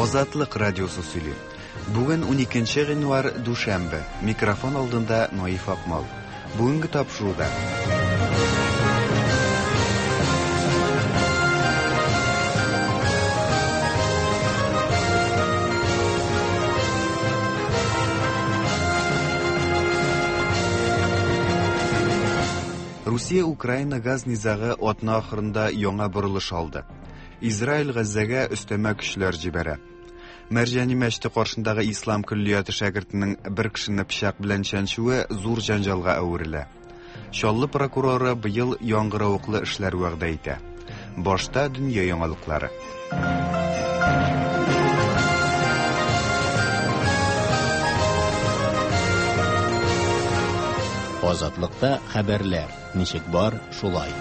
Азатлык радиосы сөйли. Бүген 12 гыйнвар дүшәмбе. Микрофон алдында Наиф Акмал. Бүгенге тапшыруда Русия-Украина газ низагы атна ахырында яңа борылыш алды. Израиль Газзәгә өстәмә көчләр җибәрә. Мәрҗани мәчете каршындагы ислам көллияте шәкертенең бер кешене пычак белән чәнчүе зур җәнҗалга әверелә. Чаллы прокуроры быел яңгыравыклы эшләр вәгъдә итә. Башта дөнья яңалыклары. Азатлыкта хәбәрләр ничек бар, шулай.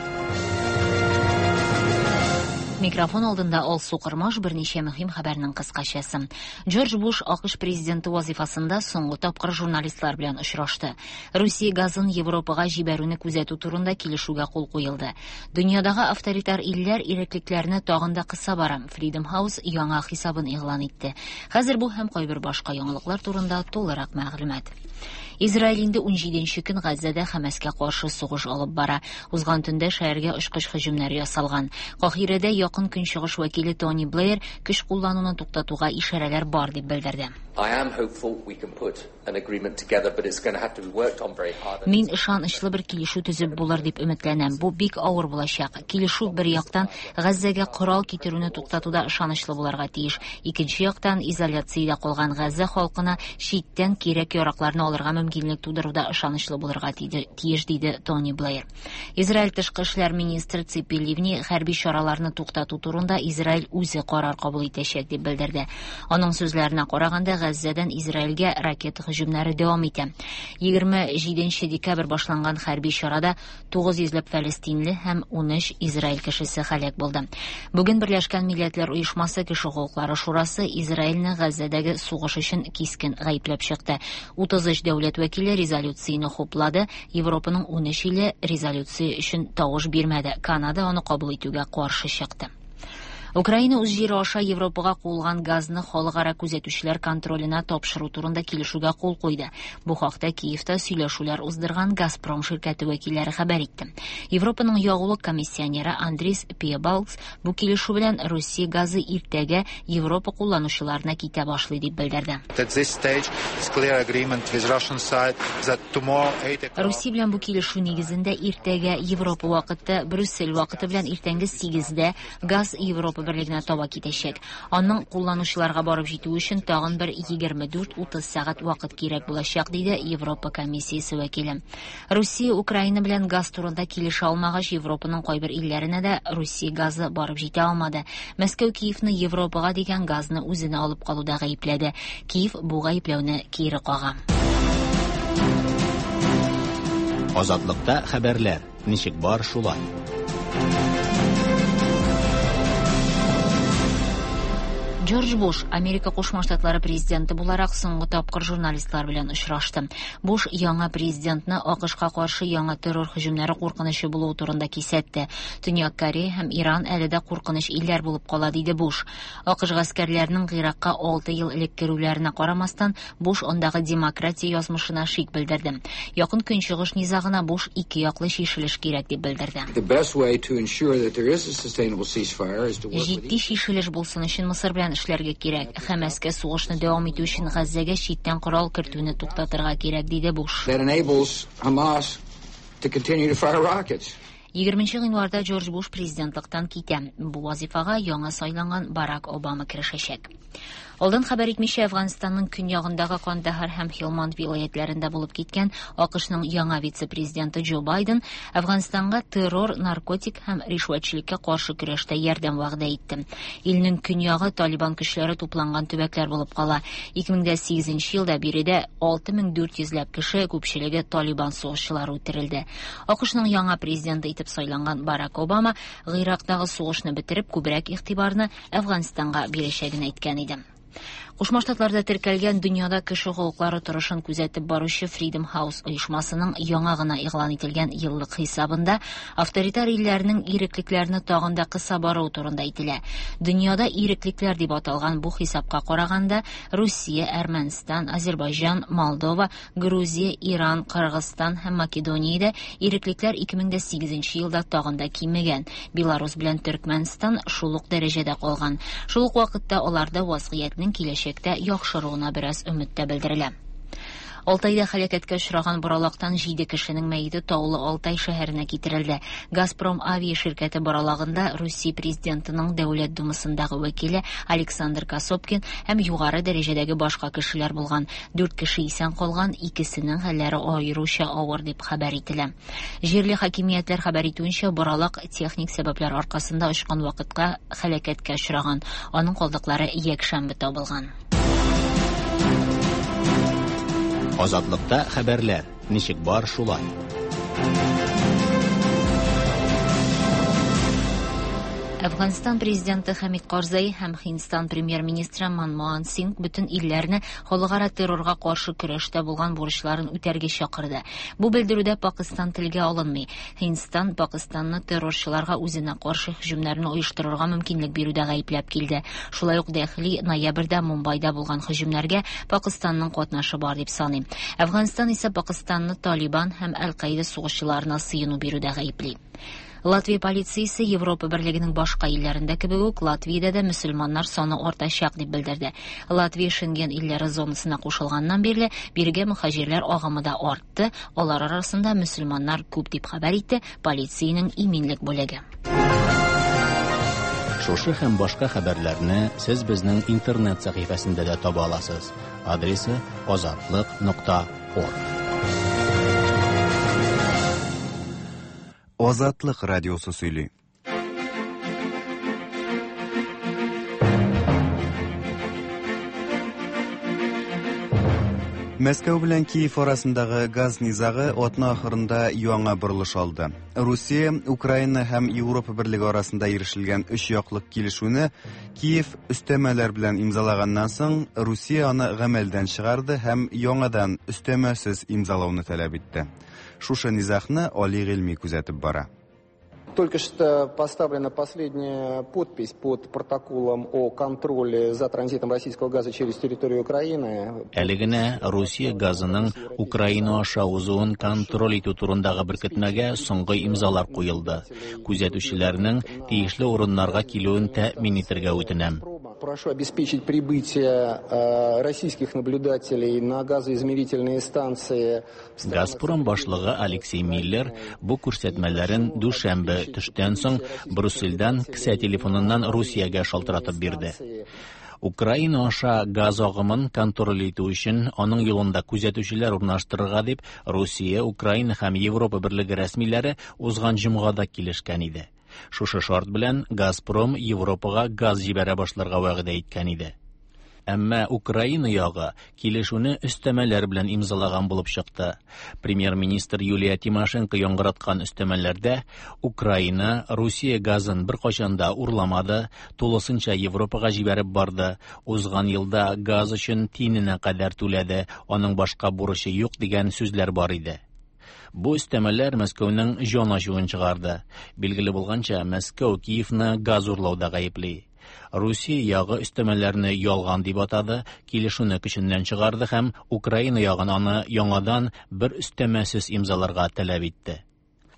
Микрофон алдында Алсу Кырмаш берничә мөһим хәбәрнең кыскачасы. Джордж Буш АКШ президенты вазифасында соңгы тапкыр журналистлар белән очрашты. Русия газын Европага җибәрүне күзәтү турында килешүгә кул куелды. Дөньядагы авторитар илләр иреклекләрне тагын да кыса бара. Freedom House яңа хисабын игълан итте. Хәзер бу һәм кайбер башка яңалыклар турында тулырак мәгълүмат. Израиль инде 17 көн Газзәдә Хәмәскә каршы сугыш алып бара. Узган төндә шәһәргә очкыч һөҗүмнәре ясалган. Каһирәдә якын көнчыгыш вәкиле Тони Блэйр көч куллануны туктатуга ишарәләр бар дип белдерде. Мин ышанычлы бер килешү төзеп булыр дип өметләнәм. Бу бик авыр булачак. Килешү бер яктан Газзәгә корал китерүне туктатуда ышанычлы булырга тиеш. Икенче яктан изоляциядә калган Газзә халкына читтән кирәк-яракларны алырга мөмкинлек тудыруда ышанычлы булырга тиеш, диде Тони Блэйр. Израиль тышкы эшләр министры Ципи Ливни хәрби чараларны туктату турында Израиль үзе карар кабул итәчәк дип белдерде. Аның сүзләренә караганда, Газзәдән Израильгә ракета һөҗүмнәре дәвам итә. 27 декабрь башланган хәрби чарада 900 ләп фәлестинле һәм 13 Израиль кешесе һәлак булды. Бүген Берләшкән Милләтләр Оешмасы Кеше хокуклары шурасы Израильне Газзәдәге сугыш өчен кискен гаепләп чыкты. 33 дәүләт вәкиле резолюцияне хуплады, Европаның 13 иле резолюция өчен тавыш бирмәде. Канада аны кабул итүгә каршы чыкты. Украина үз җире аша Европага куылган газны халыкара күзәтүчеләр контроленә тапшыру турында килешүгә кул куйды. Бу хакта Киевта сөйләшүләр уздырган Газпром ширкәте вәкилләре хәбәр итте. Европаның ягулык комиссионеры Андрис Пиебалгс бу килешү белән Русия газы иртәгә Европа кулланучыларына китә башлый дип белдерде. Русия белән бу килешү нигезендә иртәгә Европа вакыты, Брюссель вакыты белән иртәнге 8-дә газ Европа берлегенә таба китәчәк. Аның кулланучыларга барып җитүе өчен тагын бер 24-30 сәгать вакыт кирәк булачак, диде Европа комиссиясе вәкиле. Русия Украина белән газ турында килешә алмагач, Европаның кайбер илләренә дә Русия газы барып җитә алмады. Мәскәү Киевны Европага дигән газны үзенә алып калуда гаепләде. Киев бу гаепләүне кире кага. Азатлыкта хәбәрләр ничек бар шулай. Джордж Буш Америка Кушма Штатлары президенты буларак соңгы тапкыр журналистлар белән очрашты. Буш яңа президентны АКШка каршы яңа террор һөҗүмнәре куркынычы булуы турында кисәтте. Төньяк Корея һәм Иран әле дә куркыныч илләр булып кала, диде Буш. АКШ гаскәрләренең Гыйракка 6 ел элек керүләренә карамастан, Буш андагы демократия язмышына шик белдерде. Якын Көнчыгыш низагына Буш ике яклы чишелеш кирәк дип белдерде. Җитди чишелеш булсын өчен Мысыр белән эшләргә кирәк. Хәмәскә сугышны дәвам итү өчен Газзәгә читтән корал кертүне туктатырга кирәк, диде Буш. 20 гыйнварда Джордж Буш президентлыктан китә. Бу вазифага яңа сайланган Барак Обама керешәчәк. Алдан хәбәр итмичә Әфганстанның көньягындагы Кандahar һәм Хилманд вилаятләрендә булып киткән АКШның яңа вице-президенты Джо Байден Әфганстанга террор, наркотик һәм ришвәтчелеккә каршы көрәштә ярдәм вәгъдә итте. Илнең көньягы Талибан көчләре тупланган төбәкләр булып кала. 2008 елда биредә 6400 ләп кеше, күпчелеге Талибан сугышчылары үтерелде. АКШның яңа президенты итеп сайланган Барак Обама Гыйрактагы сугышны бетереп, күбрәк игътибарны Әфганстанга бирәчәген әйткән иде. Кушма Штатларда теркәлгән дөньяда кеше хокуклары торышын күзәтеп баручы Freedom House оешмасының яңа гына игълан ителгән еллык хисабында авторитар илләрнең иреклекләрне тагын да кыса баруы турында әйтелә. Дөньяда иреклекләр дип аталган бу хисапка караганда, Русия, Әрмәнстан, Азербайҗан, Молдова, Грузия, Иран, Кыргызстан һәм Македониядә иреклекләр 2008 елда тагын да кимегән. Беларус белән Төркмәнстан шул ук дәрәҗәдә калган. Шул ук вакытта аларда вазгыятьнең киләчәктә яхшыруына бераз өмет тә белдерелә. Алтайда һәлакәткә очраган боралактан 7 кешенең мәете Таулы Алтай шәһәренә китерелде. Газпром авиа ширкәте боралагында Русия президентының Дәүләт Думасындагы вәкиле Александр Косопкин һәм югары дәрәҗәдәге башка кешеләр булган. 4 кеше исән калган, икесенең хәлләре аеруча авыр дип хәбәр ителә. Җирле хакимиятләр хәбәр итүенчә, боралак техник сәбәпләр аркасында очкан вакытка һәлакәткә очраган. Аның калдыклары якшәмбе табылган. Азатлыкта хәбәрләр ничек бар шулай. Әфганстан президенты Хәмид Карзай һәм Һиндстан премьер-министры Манмохан Сингh бөтен илләрне халыкара террорга каршы көрәштә булган бурычларын үтәргә чакырды. Бу белдерүдә Пакистан телгә алынмый. Һиндстан Пакистанны террорчыларга үзенә каршы һөҗүмнәрне оештырырга мөмкинлек бирүдә гаепләп килде. Шулай ук Дәһли ноябрьдә Мумбайда булган һөҗүмнәргә Пакистанның катнашы бар дип саный. Әфганстан исә Пакистанны Талибан һәм Әл-Каида сугышчыларына сыену бирүдә гаепли. Латвия полициясе Европа берлегенең башка илләрендә кебек үк Латвиядә дә мөселманнар саны артачак дип белдерде. Латвия Шенген илләре зонасына кушылганнан бирле бирегә мөхаҗирләр агымы да артты, алар арасында мөселманнар күп дип хәбәр итте полициянең иминлек бүлеге. Шушы һәм башка хәбәрләрне сез безнең интернет сәхифәсендә дә таба аласыз. Адресы azatliq.org. Азатлык радиосы сөйли. Мәскәү белән Киев арасындагы газ низагы атна ахырында яңа борылыш алды. Русия, Украина һәм Европа берлеге арасында ирешелгән өч яклык килешүне Киев өстәмәләр белән имзалаганнан соң, Русия аны гамәлдән чыгарды һәм яңадан өстәмәсез имзалауны таләп итте. Шушы низагны Али Гыйльми күзәтеп бара. Только что поставлена последняя подпись под протоколом о контроле за транзитом российского газа через территорию Украины. Әле генә Русия газының Украина аша узуын контроль итү турындагы беркетмәгә соңгы имзалар куелды. Күзәтүчеләрнең тиешле урыннарга килүен тәэмин итәргә үтенәм. Прошу обеспечить прибытие российских наблюдателей на газоизмерительные станции. Газпром башлыгы Алексей Миллер бу күрсәтмәләрен дүшәмбе төштән соң Брюссельдән кесә телефоныннан Русиягә шалтыратып бирде. Украина аша газ агымын контроль итү өчен аның юлында күзәтүчеләр урнаштырырга дип Русия, Украина һәм Европа берлеге рәсмиләре узган җомгада килешкән иде. Шушы шарт белән Газпром Европага газ җибәрә башларга вәгъдә иткән иде. Әмма Украина ягы килешүне өстәмәләр белән имзалаган булып чыкты. Премьер-министр Юлия Тимошенко яңгыраткан өстәмәләрдә Украина Русия газын беркайчан да урламады, тулысынча Европага җибәреп барды, узган елда газ өчен тиененә кадәр түләде, аның башка бурычы юк дигән сүзләр бар иде. Бу өстәмәләр Мәскәүнең җан ачуын чыгарды. Билгеле булганча, Мәскәү Киевны газ урлауда гаепли. Русия ягы өстәмәләрне ялган дип атады, килешүне көченнән чыгарды һәм Украина ягын аны яңадан бер өстәмәсез имзаларга таләп итте.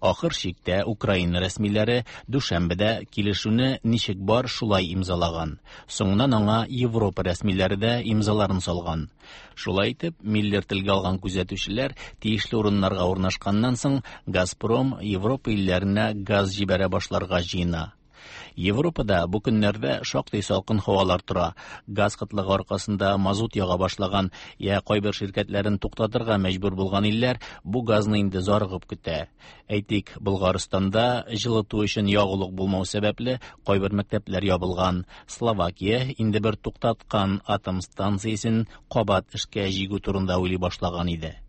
Ахыр чиктә Украина рәсмиләре дүшәмбедә килешүне ничек бар шулай имзалаган. Соңыннан аңа Европа рәсмиләре дә имзаларын салган. Шулай итеп, Миллер телгә алган күзәтүчеләр тиешле урыннарга урнашканнан соң Газпром Европа илләренә газ җибәрә башларга җыена. Европада бу көннәрдә шактый салкын һавалар тора. Газ кытлыгы аркасында мазут яга башлаган я кайбер ширкәтләрен туктатырга мәҗбүр булган илләр бу газны инде зарыгып көтә. Әйтик, Болгарстанда җылыту өчен ягулык булмау сәбәпле кайбер мәктәпләр ябылган. Словакия инде бер туктаткан атом станциясен кабат эшкә җигү турында уйлый башлаган иде.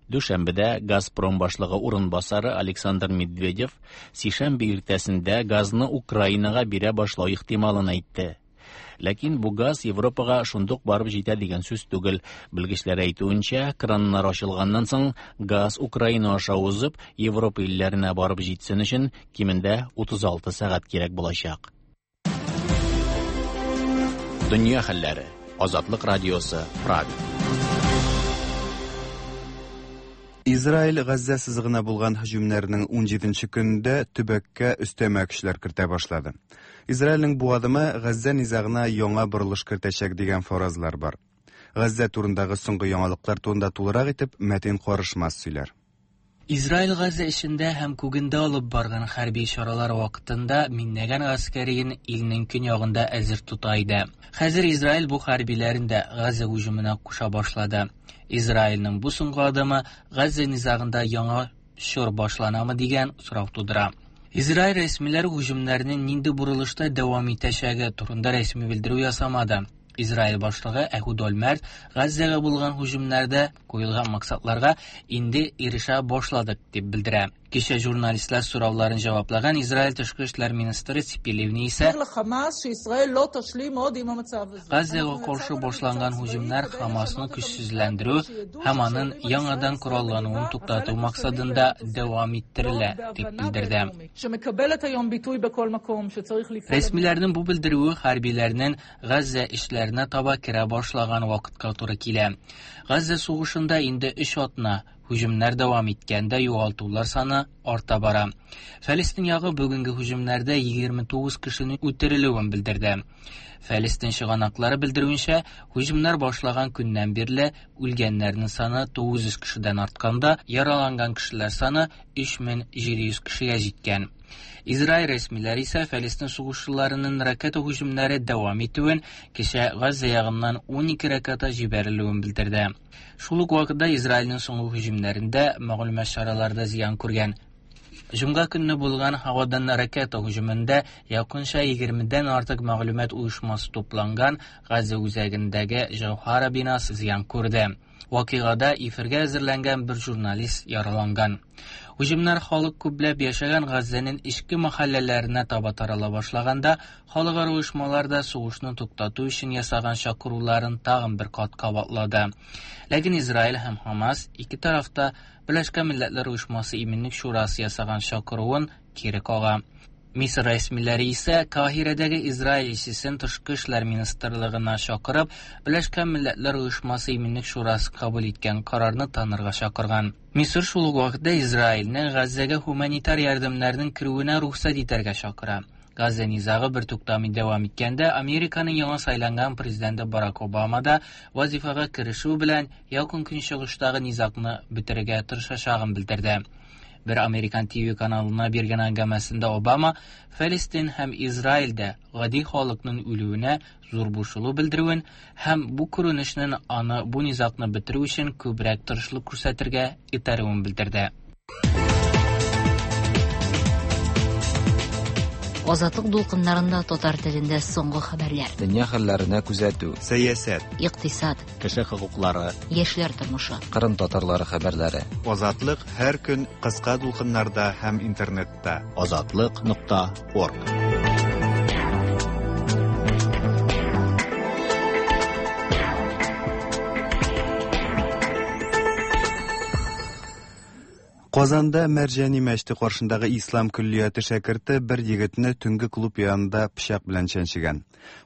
Дүшәмбедә Газпром башлыгы урынбасары Александр Медведев сишәмбе иртәсендә газны Украинага бирә башлау ихтималын әйтте. Ләкин бу газ Европага шундук барып җитә дигән сүз түгел. Белгечләр әйтүенчә, краннар ачылганнан соң газ Украина аша узып, Европа илләренә барып җитсен өчен кимендә 36 сәгать кирәк булачак. Дөнья хәлләре. Азатлык радиосы, Прага. Израиль Газзә сызыгына булган һөҗүмнәрнең 17 көнендә төбәккә өстәмә көчләр кертә башлады. Израильнең бу адымы Газзә низагына яңа борылыш кертәчәк дигән фаразлар бар. Газзә турындагы соңгы яңалыклар турында тулырак итеп Мәтин Карышмас сөйләр. Израиль Газа эчендә һәм күгендә алып барган хәрби чаралар вакытында миңнәгән гаскәриен илнең көньягында әзер тота иде. Хәзер Израиль бу хәрбиләрен дә Газа һөҗүменә куша башлады. Израильнең бу соңгы адымы Газа низагында яңа чор башланамы дигән сорау тудыра. Израиль рәсмиләре һөҗүмнәрнең нинди борылышта дәвам итәчәге турында рәсми белдерү ясамады. Израиль башлыгы Әһүд Ольмерт Газзәгә булган һөҗүмнәрдә куелган максатларга инде ирешә башладык дип белдерә. Кичә журналистлар сорауларын җаваплаган Израиль тышкы эшләр министры Ципи Ливни исә Газзәгә каршы башланган һөҗүмнәр Хамасны көчсезләндерү һәм аның яңадан кораллануын туктату максатында дәвам иттерелә дип белдерде. Рәсмиләрнең бу белдерүе хәрбиләрнең Газзә эшләренә таба керә башлаган вакытка туры килә. Газзә сугышында инде 3 атна һөҗүмнәр дәвам иткәндә югалтулар саны арта бара. Фәлестин ягы бүгенге һөҗүмнәрдә 29 кешенең үтерелүен белдерде. Фәлестин чыганаклары белдерүенчә, һөҗүмнәр башлаган көннән бирле үлгәннәрнең саны 900 кешедән артканда, яраланган кешеләр саны 3700 кешегә җиткән. Израиль рәсмиләре исә Фәлестин сугышчыларының ракета һөҗүмнәре дәвам итүен, кичә Газа ягыннан 12 ракета җибәрелүен белдерде. Шул ук вакытта Израильнең соңгы һөҗүмнәрендә мәгълүмат чаралары да зыян күргән. Җомга көнне булган һавадан ракета һөҗүмендә якынча 20дән артык мәгълүмат оешмасы тупланган Газа үзәгендәге Җәүһара бинасы зыян күрде. Вакыйгада эфиргә әзерләнгән бер журналист яраланган. Һөҗүмнәр халык күпләп яшәгән Газзәнең эчке мәхәлләләренә таба тарала башлаганда, халыкара оешмалар да сугышны туктату өчен ясаган чакыруларын тагын бер кат кабатлады. Ләкин Израиль һәм Хамас ике тарафта Берләшкән Милләтләр Оешмасы Иминлек Шурасы ясаган чакыруын кире кага. Мисыр рәсмиләре исә Каһирәдәге Израиль илчесен тышкы эшләр министрлыгына чакырып, Берләшкән Милләтләр Оешмасы Иминлек Шурасы кабул иткән карарны танырга чакырган. Мисыр шул ук вакытта Израильне Газзәгә гуманитар ярдәмнәрнең керүенә рөхсәт итәргә чакыра. Газзә низагы бер туктамый дәвам иткәндә, Американың яңа сайланган президенты Барак Обама да вазифага керешү белән Якын Көнчыгыштагы низагны бетерергә тырышачагын белдерде. Бер американ ТВ каналына биргән әңгәмәсендә Обама Фәлестин һәм Израильдә гади халыкның үлүенә зур борчылу белдерүен һәм бу күренешнең аны бу низагны бетерү өчен күбрәк тырышлык күрсәтергә этәрүен белдерде. Азатлык дулкыннарында татар телендә соңгы хәбәрләр. Дөнья хәлләренә күзәтү. Сәясәт, Икътисад, Кеше хокуклары, яшьләр тормышы. Кырым татарлары хәбәрләре. Азатлык һәр көн кыска дулкыннарда һәм интернетта. Азатлык.орг. Казанда Мәрҗани мәчете каршындагы Ислам көллияте шәкерте бер егетне төнге клуб янында пычак белән чәнчегән.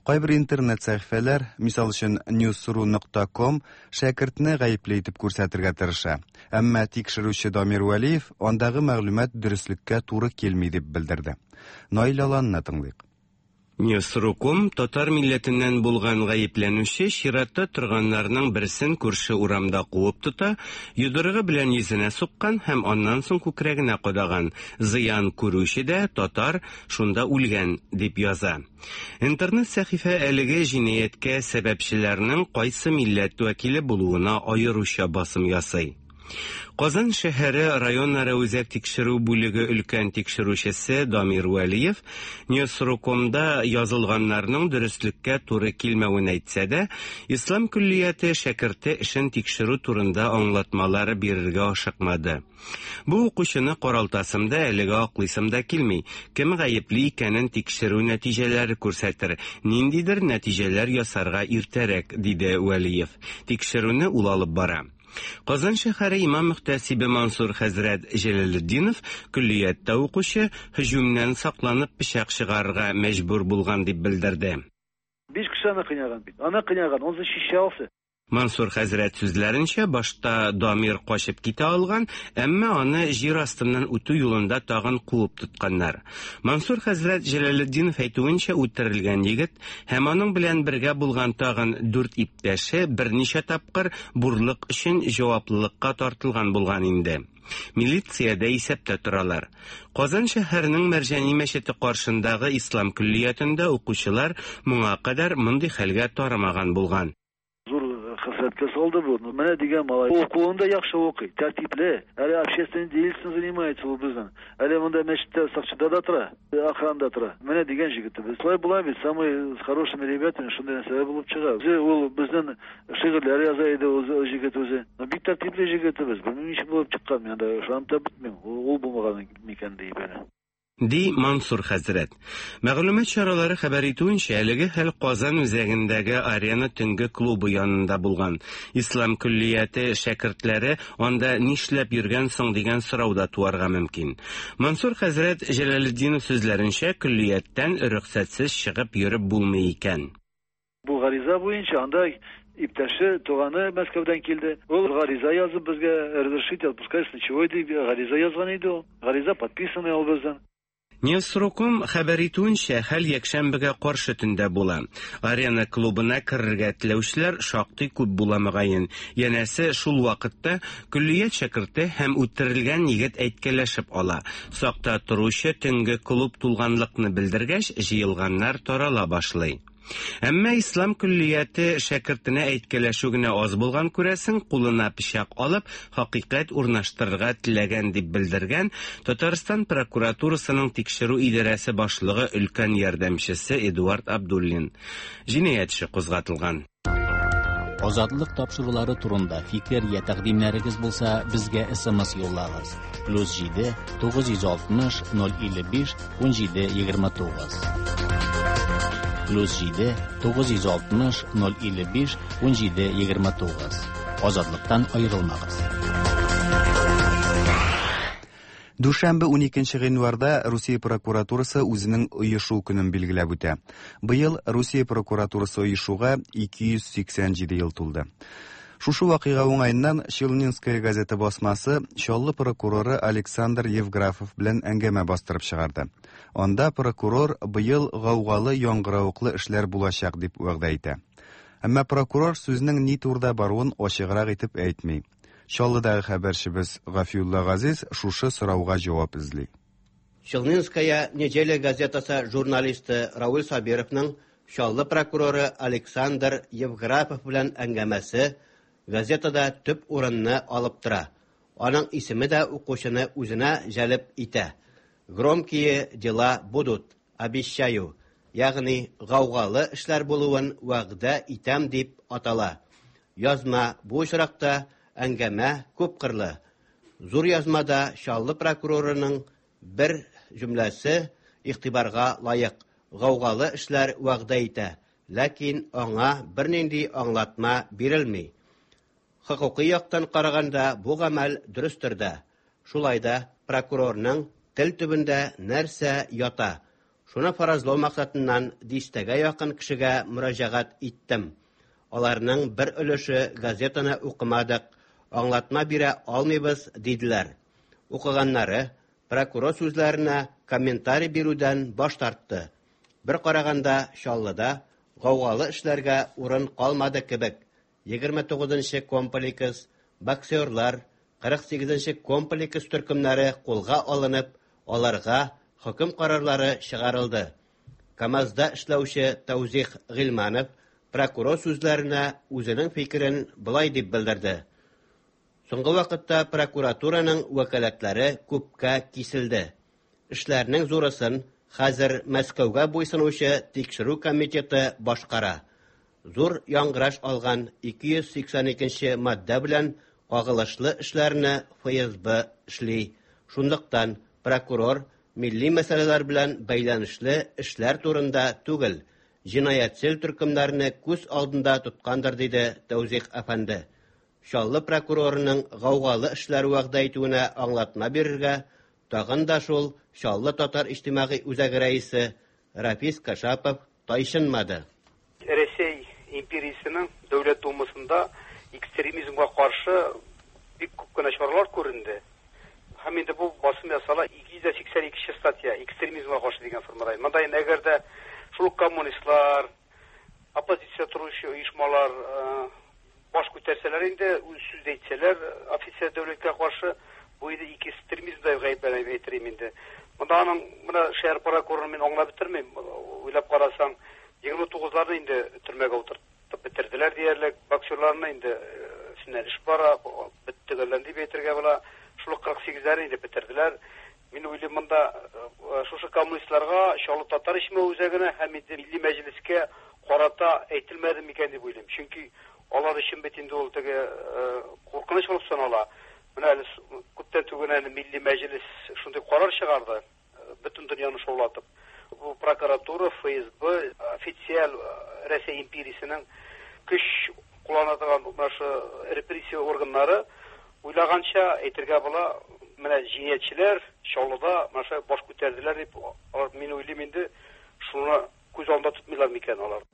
Кайбер интернет сәхифәләр, мисал өчен newsru.com, шәкертне гаепле итеп күрсәтергә тырыша. Әмма тикшерүче Дамир Вәлиев андагы мәгълүмат дөреслеккә туры килми дип белдерде. Наил Аланны тыңлыйк. Newsru.com татар милләтеннән булган гаепләнүче чиратта торганнарның берсен күрше урамда куып тота, йодрыгы белән йөзенә суккан һәм аннан соң күкрәгенә кадаган. Зыян күрүче дә татар шунда үлгән дип яза. Интернет сәхифә әлеге җинаятькә сәбәпчеләрнең кайсы милләт вәкиле булуына аеруча басым ясый. Казан шәһәре районара үзәк тикшерү бүлеге өлкән тикшерүчесе Дамир Вәлиев Ньюсрукомда язылганнарның дөреслеккә туры килмәвен әйтсә дә, Ислам көллияте шәкерте эшен тикшерү турында аңлатмалар бирергә ашыкмады. Бу укучыны каралтасым да, әлегә аклыйсым да килми. Кем гаепле икәнен тикшерү нәтиҗәләре күрсәтер. Ниндидер нәтиҗәләр ясарга иртәрәк, диде Вәлиев. Тикшерүне ул алып бара. Казан шәһәре имам-мөхтәсибе Мансур хәзрәт Җәләлетдинов көллияттә укучы һөҗүмнән сакланып пычак чыгарырга мәҗбүр булган дип белдерде. Биш кеше аны кыйнаган бит. Аны кыйнаган, он защищался. Мансур хәзрәт сүзләренчә, башта Дамир качып китә алган, әмма аны җир астыннан үтү юлында тагын куып тотканнар. Мансур хәзрәт Җәләлетдинов әйтүенчә, үтерелгән егет һәм аның белән бергә булган тагын дүрт иптәше берничә тапкыр бурлык өчен җаваплылыкка тартылган булган инде. Милициядә исәптә торалар. Казан шәһәренең Мәрҗани мәчете каршындагы ислам көллиятендә укучылар моңа кадәр мондый хәлгә тарымаган булган. Зур хәсрәткә салды бу. Ну, менә дигән малай. Укуын да яхшы укый, тәртипле. Әле общественной деятельностью занимается ул безнең. Әле монда мәчеттә сакчыда да тора, охранада тора. Менә дигән җегетебез. Шулай була бит, самый с хорошими ребятами шундый нәрсәләр булып чыга. Үзе ул безнең шигырьләр яза иде ул җегет үзе. Ну, бик тәртипле җегетебез. Белмим ничек булып чыккан, мин анда ышанып та бетмим. Ул булмаган микән диеп әле. Ди Мансур хәзрәт. Мәгълүмат чаралары хәбәр итүенчә, әлеге хәл Казан үзәгендәге Арена төнге клубы янында булган. Ислам көллияте шәкертләре анда нишләп йөргән соң дигән сорау да туарга мөмкин. Мансур хәзрәт Җәләлетдинов сүзләренчә, көллияттән рөхсәтсез чыгып йөреп булмый икән. Бу гариза буенча анда иптәше, туганы Мәскәүдән килде. Ул гариза язып безгә разрешите отпускать с ночевой дип гариза язган иде ул. Гариза подписанный ул безнең. Ньюсруком хәбәр итүенчә, хәл якшәмбегә каршы төндә була. Арена клубына керергә теләүчеләр шактый күп була мөгаен. Янәсе, шул вакытта көллият шәкерте һәм үтерелгән егет әйткәләшеп ала. Сакта торучы төнге клуб тулганлыкны белдергәч, җыелганнар тарала башлый. Әмма ислам көллияте шәкертенә әйткәләшү генә аз булган күрәсең, кулына пычак алып, хакыйкать урнаштырырга теләгән дип белдергән Татарстан прокуратурасының тикшерү идарәсе башлыгы өлкән ярдәмчесе Эдуард Абдуллин. Җинаять эше кузгатылган. Азатлык тапшырулары турында фикер я тәкъдимнәрегез булса, безгә SMS юллагыз. Плюс 7 960 055 17 29. Плюс 7 960 055 17 29. Азатлыктан аерылмагыз. Дүшәмбе 12 гыйнварда Русия прокуратурасы үзенең оешу көнен билгеләп үтә. Быел Русия прокуратурасы оешуга 287 ел тулды. Шушы вакыйга уңаеннан Челнинская газета басмасы Чаллы прокуроры Александр Евграфов белән әңгәмә бастырып чыгарды. Анда прокурор быел гаугалы яңгыравыклы эшләр булачак дип вәгъдә итә. Әмма прокурор сүзнең ни турыда баруын ачыграк итеп әйтми. Чаллыдагы хәбәрчебез Гафиулла Газиз шушы сорауга җавап эзли. Челнинская неделя газетасы журналисты Рауль Сабировның Чаллы прокуроры Александр Евграфов белән әңгәмәсе газетада төп урынны алып тора. Аның исеме дә укучыны үзенә җәлеп итә. Громкие дела будут, обещаю, ягъни гаугалы эшләр булуын вәгъдә итәм дип атала. Язма бу очракта әңгәмә күпкырлы. Зур язмада Чаллы прокурорының бер җөмләсе игътибарга лаек. Гаугалы эшләр вәгъдә итә, ләкин аңа бернинди аңлатма бирелми. Хокукый яктан караганда бу гамәл дөрестер дә. Шулай да прокурорның тел төбендә нәрсә ята? Шуны фаразлау максатыннан дистәгә якын кешегә мөрәҗәгать иттем. Аларның бер өлеше газетаны укымадык, аңлатма бирә алмыйбыз, диделәр. Укыганнары прокурор сүзләренә комментарий бирүдән баш тартты. Бер караганда Чаллыда гаугалы эшләргә урын калмады кебек. 29 нчы комплекс, боксерлар, 48 нче комплекс төркемнәре кулга алынып, аларга хөкем карарлары чыгарылды. КАМАЗда эшләүче Тәүзих Гыйльманов прокурор сүзләренә үзенең фикерен болай дип белдерде. Соңгы вакытта прокуратураның вәкаләтләре күпкә киселде. Эшләрнең зурысын хәзер Мәскәүгә буйсынучы Тикшерү комитеты башкара. Зур яңгыраш алган 282 нче маддә белән кагылышлы эшләрне ФСБ эшли. Шунлыктан прокурор милли мәсьәләләр белән бәйләнешле эшләр турында түгел, җинаятьчел төркемнәрне күз алдында тоткандыр, диде Тәүзих әфәнде. Чаллы прокурорының гаугалы эшләр вәгъдә итүенә аңлатма бирергә тагын да шул Чаллы татар иҗтимагый үзәге рәисе Рафис Кашапов тайчынмады. Рәсәй империясенең Дәүләт Думасында экстремизмга каршы бик күп кенә чаралар күренде. Һәм инде бу басым ясала 282 нче статья экстремизмга каршы дигән формада. Монда инде әгәр дә шул ук коммунистлар, оппозиция торучы оешмалар баш күтәрсәләр инде, үз сүз әйтсәләр, официаль дәүләткә каршы, бу инде экстремизмда гаепләнә дип әйтер идем инде. Монда аның менә шәһәр прокурорын мин аңлап бетермим. Уйлап карасаң, 29-ларны инде төрмәгә утыртып бетерделәр диярлек. Боксерларны инде өстеннән эш бара, бетте төгәлләнде дип әйтергә була. Шул ук 48-ләрне инде бетерделәр. Мин уйлыйм, монда шушы коммунистларга, Чаллы татар иҗтимагый үзәгенә һәм инде Милли Мәҗлескә карата әйтелмәде микән дип уйлыйм. Чөнки алар өчен бит инде ул теге куркыныч булып санала. Менә әле күптән түгел әле Милли Мәҗлес шундый карар чыгарды, бөтен дөньяны шаулатып. Бу прокуратура, ФСБ, официаль Рәсәй империясенең көч куллана торган менә шу репрессия органнары уйлаганча әйтергә була, менә җинаятьчеләр Чаллыда менә шулай баш күтәрделәр дип, алар, мин уйлыйм инде, шуны күз алдында тотмыйлар микән алар?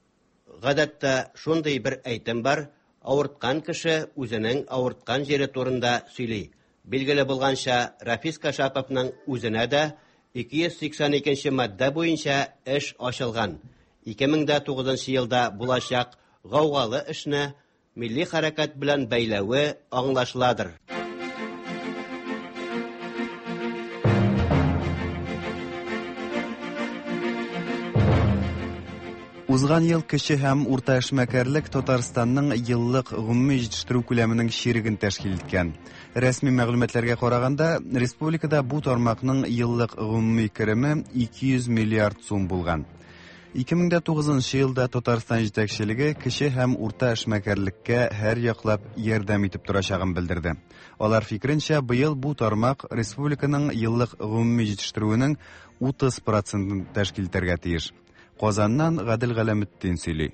Гадәттә, шундый бер әйтем бар, авырткан кеше үзенең авырткан җире турында сөйли. Билгеле булганча, Рафис Кашаповның үзенә дә 282 нче маддә буенча эш ачылган. 2009 нчы елда булачак гаугалы эшне милли хәрәкәт белән бәйләве аңлашыладыр. Узган ел кече һәм урта эшмәкәрлек Татарстанның еллык гомуми җитештерү күләменең чиреген тәшкил иткән. Рәсми мәгълүматларга караганда, республикада бу тармакның еллык гомуми кереме 200 миллиард сум булган. 2009 нчы елда Татарстан җитәкчелеге кече һәм урта эшмәкәрлеккә һәр яклап ярдәм итеп торачагын белдерде. Алар фикеренчә, быел бу тармак республиканың еллык гомуми җитештерүенең 30 процентын тәшкил итәргә тиеш. Казаннан Гадел Галәметдин сөйли.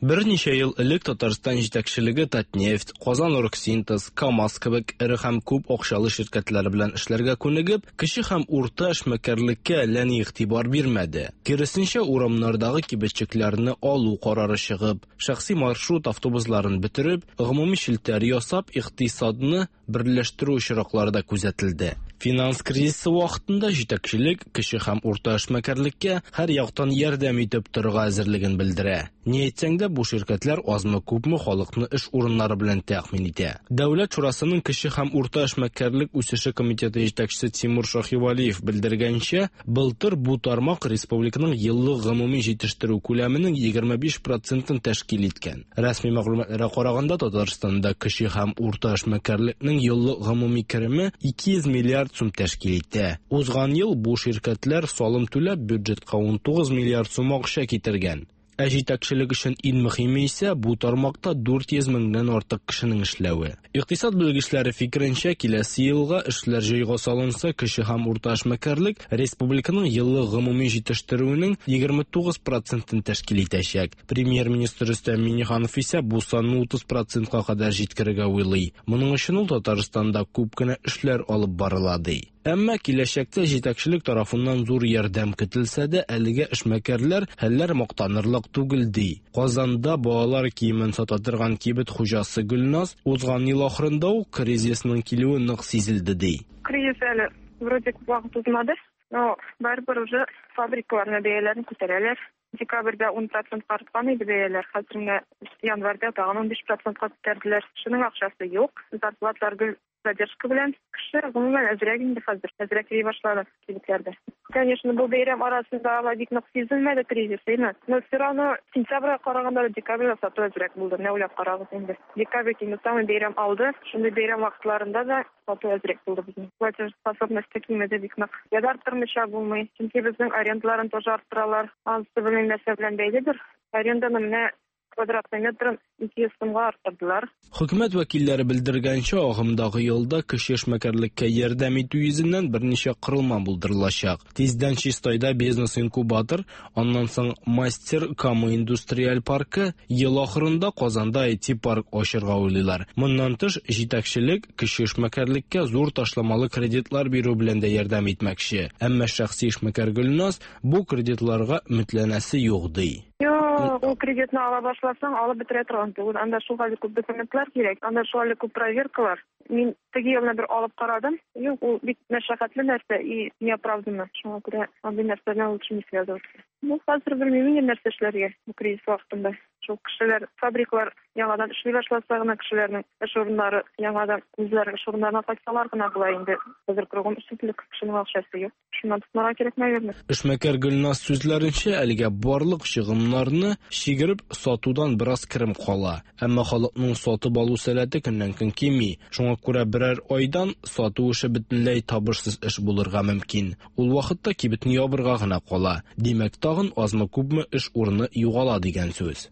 Берничә ел элек Татарстан җитәкчелеге Татнефть, Казан-Оргсинтез, КАМАЗ кебек эре һәм күп акчалы ширкәтләр белән эшләргә күнегеп, кече һәм урта эшмәкәрлеккә әллә ни игътибар бирмәде. Киресенчә, урамнардагы кибетчекләрне алу карары чыгып, шәхси маршрут автобусларын бетереп, гомуми челтәр ясап, икътисадны берләштерү очраклары да күзәтелде. Финанс кризисы вакытында җитәкчелек кече һәм урта эшмәкәрлеккә һәр яктан ярдәм итеп торырга әзерлеген белдерә. Ни әйтсәң дә, бу ширкәтләр азмы-күпме халыкны эш урыннары белән тәэмин итә. Дәүләт шурасының кече һәм урта эшмәкәрлек үсеше комитеты җитәкчесе Тимур Шаһивәлиев белдергәнчә, Былтыр бу тармак республиканың еллык гомуми җитештерү күләменең 25 процентын тәшкил иткән. Рәсми мәгълүматларга караганда, Татарстанда кече һәм урта эшмәкәрлекнең еллык гомуми кереме 200 миллиард сум тәшкил итә. Узган ел бу ширкәтләр салым түләп бюджетка 19 миллиард сум акча китергән. Ә җитәкчелек өчен иң мөһиме исә бу тармакта 400 меңнән артык кешенең эшләве. Икътисад белгечләре фикеренчә, киләсе елга эшләр җайга салынса, кече һәм урта эшмәкәрлек республиканың еллык гомуми җитештерүенең 29 процентын тәшкил итәчәк. Премьер-министр Рөстәм Миңнеханов исә бу санны 30 процентка кадәр җиткерергә уйлый. Моның өчен ул Татарстанда күп кенә эшләр алып барыла, ди. Әмма киләчәктә җитәкчелек тарафыннан зур ярдәм көтелсә дә, әлегә эшмәкәрләр хәлләр мактанырлык түгел, ди. Казанда балалар киемен сата торган кибет хуҗасы Гөлназ, узган ел ахырында ук кризисның килүе нык сизелде, ди. Кризис әле вроде күп вакыт узмады, но барыбер уже фабрикаларның бәяләрен күтәрәләр. Декабрьдә 10 процентка арткан иде бәяләр, хәзер менә январьда тагын 15 процентка күтәрделәр. Кешенең акчасы юк, зарплаталар гел задержка белән. Кеше гомумән әзрәк инде хәзер, әзрәк йөри башлады кибетләрдә. Конечно, бу бәйрәм арасында алай бик нык сизелмәде кризис, әйме? Но все равно сентябрьгә караганда да декабрьдә сату әзрәк булды. Менә уйлап карагыз инде. Декабрь инде самый бәйрәм алды. Шундый бәйрәм вакытларында да сату әзрәк булды безнең. Платежеспособность та кимеде бик нык. Я да арттырмыйча булмый. Чөнки безнең арендаларын тоже арттыралар. Анысы белмим нәрсә белән бәйледер. Аренданы менә квадратный метрын 200 сумга арттырдылар. Хөкүмәт вәкилләре белдергәнчә, агымдагы елда кече эшмәкәрлеккә ярдәм итү йөзеннән берничә корылма булдырылачак. Тиздән Чистайда бизнес-инкубатор, аннан соң Мастер Кама индустриаль паркы, ел ахырында Казанда IT-парк ачырга уйлыйлар. Моннан тыш, җитәкчелек кече эшмәкәрлеккә зур ташламалы кредитлар бирү белән дә ярдәм итмәкче. Әмма шәхси эшмәкәр Гөлназ бу кредитларга өметләнәсе юк, ди. Юк, ул кредитны ала башласаң, алып бетерә торган түгел. Анда шулхәтле күп документлар кирәк, анда шулхәтле күп проверкалар. Мин теге елны бер алып карадым. Юк, ул бик мәшәкатьле нәрсә и неоправданно. Шуңа күрә андый нәрсә белән лучше не связываться. Ну, хәзер белмим инде нәрсә эшләргә бу кризис вакытында. Шул кешеләр, фабрикалар яңадан эшли башласа гына кешеләрнең эш урыннары яңадан үзләренең эш урыннарына кайтсалар гына була инде. Хәзер кругом эшсезлек, кешенең акчасы юк. Шуннан тотынырга кирәк, наверное. Эшмәкәр Гөлназ сүзләренчә, әлегә барлык чыгымнарны чигереп сатудан бераз керем кала. Әмма халыкның сатып алу сәләте көннән-көн кими. Шуңа күрә берәр айдан сату эше бөтенләй табышсыз эш булырга мөмкин. Ул вакытта кибетне ябырга гына кала. Димәк, тагын азмы-күпме эш урыны югала дигән сүз.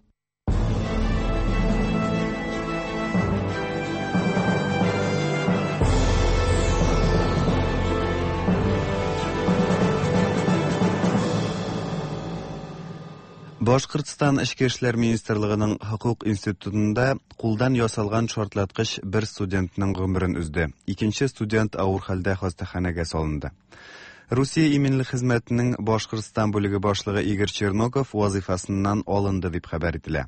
Башкортстан Эчке эшләр министрлыгының хокук институтында кулдан ясалган шартлаткыч бер студентның гомерен өзде. Икенче студент авыр хәлдә хастаханәгә салынды. Русия иминлек хезмәтенең Башкортстан бүлеге башлыгы Игорь Черноков вазыйфасыннан алынды дип хәбәр ителә.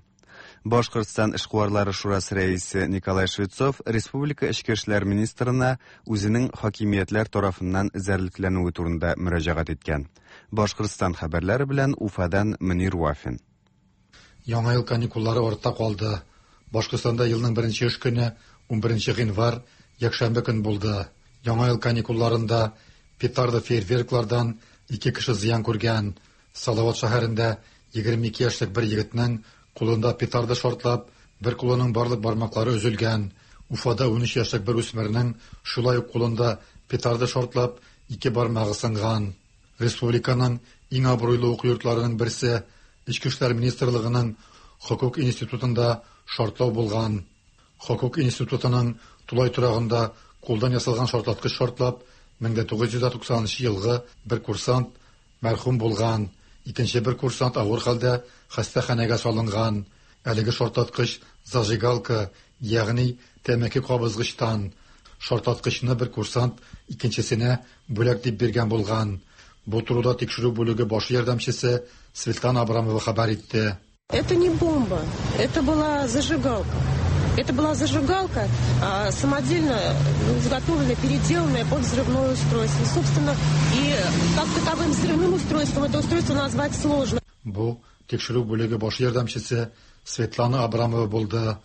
Башкортстан эшкуарлары шурасы рәисе Николай Швецов республика эчке эшләр министрына үзенең хакимиятләр тарафыннан эзәрлекләнүе турында мөрәҗәгать иткән. Башкортстан хәбәрләре белән Уфадан Мөнир Вафин. Яңа ел каникуллары артта калды. Башкортстанда елның беренче эш көне 11 гыйнвар, якшәмбе көн булды. Яңа ел каникулларында петарда фейерверклардан ике кеше зыян күргән. Салават шәһәрендә 22 яшьлек бер егетнең кулында петарда шартлап, бер кулының барлык бармаклары өзелгән. Уфада 13 яшьлек бер үсмернең шулай ук кулында петарда шартлап, ике бармагы сынган. Республиканың иң абруйлы уку йортларының берсе Эчке эшләр министрлыгының хокук институтында шартлау булган. Хокук институтының тулай торагында кулдан ясалган шартлаткыч шартлап, 1990 елгы бер курсант мәрхүм булган. Икенче бер курсант авыр хәлдә хастаханәгә салынган. Әлеге шартлаткыч зажигалка, ягъни тәмәке кабызгычтан. Шартлаткычны бер курсант икенчесенә бүләк дип биргән булган. Бу турыда тикшерү бүлеге башы ярдәмчесе Светлана Абрамова хәбәр итте. Это не бомба, это была зажигалка. Это была зажигалка, самодельно изготовленная, переделанная под взрывное устройство. Собственно, и как таковым взрывным устройством это устройство назвать сложно. Бу тикшерү бүлеге башы ярдәмчесе Светлана Абрамова булды.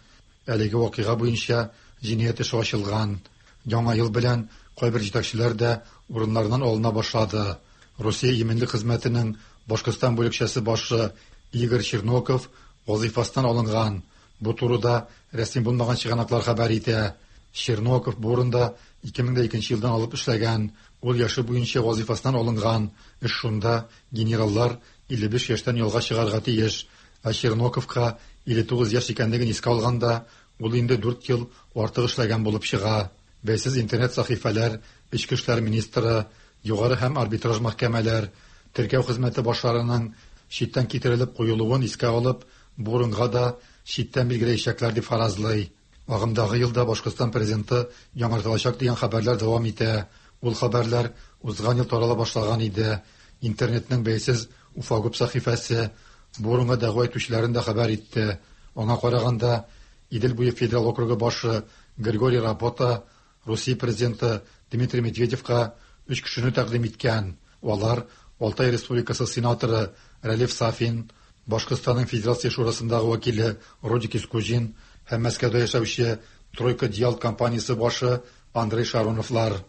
Әлеге вакыйга буенча җинаять эше ачылган. Яңа ел белән кайбер җитәкчеләр дә урыннарыннан алына башлады. Русия иминлек хезмәтенең Башкортстан бүлекчәсе башы Игорь Черноков вазыйфасыннан алынган. Бу турыда рәсми булмаган чыганаклар хәбәр итә. Черноков бу урында 2002 елдан алып эшләгән. Ул яше буенча вазыйфасыннан алынган. Эш шунда генераллар 55 яшьтән ялга чыгарга тиеш. Ә Черноковка 59 яшь икәнлеген искә алганда, ул инде 4 ел артык эшләгән булып чыга. Бәйсез интернет сәхифәләр, эчке эшләр министры, югары һәм арбитраж мәхкәмәләр, теркәү хезмәте башларының читтән китерелеп куелуын искә алып, бу урынга да читтән билгеләячәкләр дип фаразлый. Агымдагы елда Башкортстан президенты яңартылачак дигән хәбәрләр дәвам итә. Ул хәбәрләр узган ел тарала башлаган иде. Интернетның бәйсез Уфагуб сәхифәсе бу урынга дәгъва итүчеләрен дә хәбәр итте. Аңа караганда, Идел буе федерал округы башы Григорий Рапота Русия президенты Дмитрий Медведевка өч кешене тәкъдим иткән. Алар Алтай Республикасы сенаторы Рәлиф Сафин, Башкортстанның Федерация Шурасындагы вәкиле Родик Искуҗин һәм Мәскәүдә яшәүче Тройка Диал компаниясе башы Андрей Шароновлар.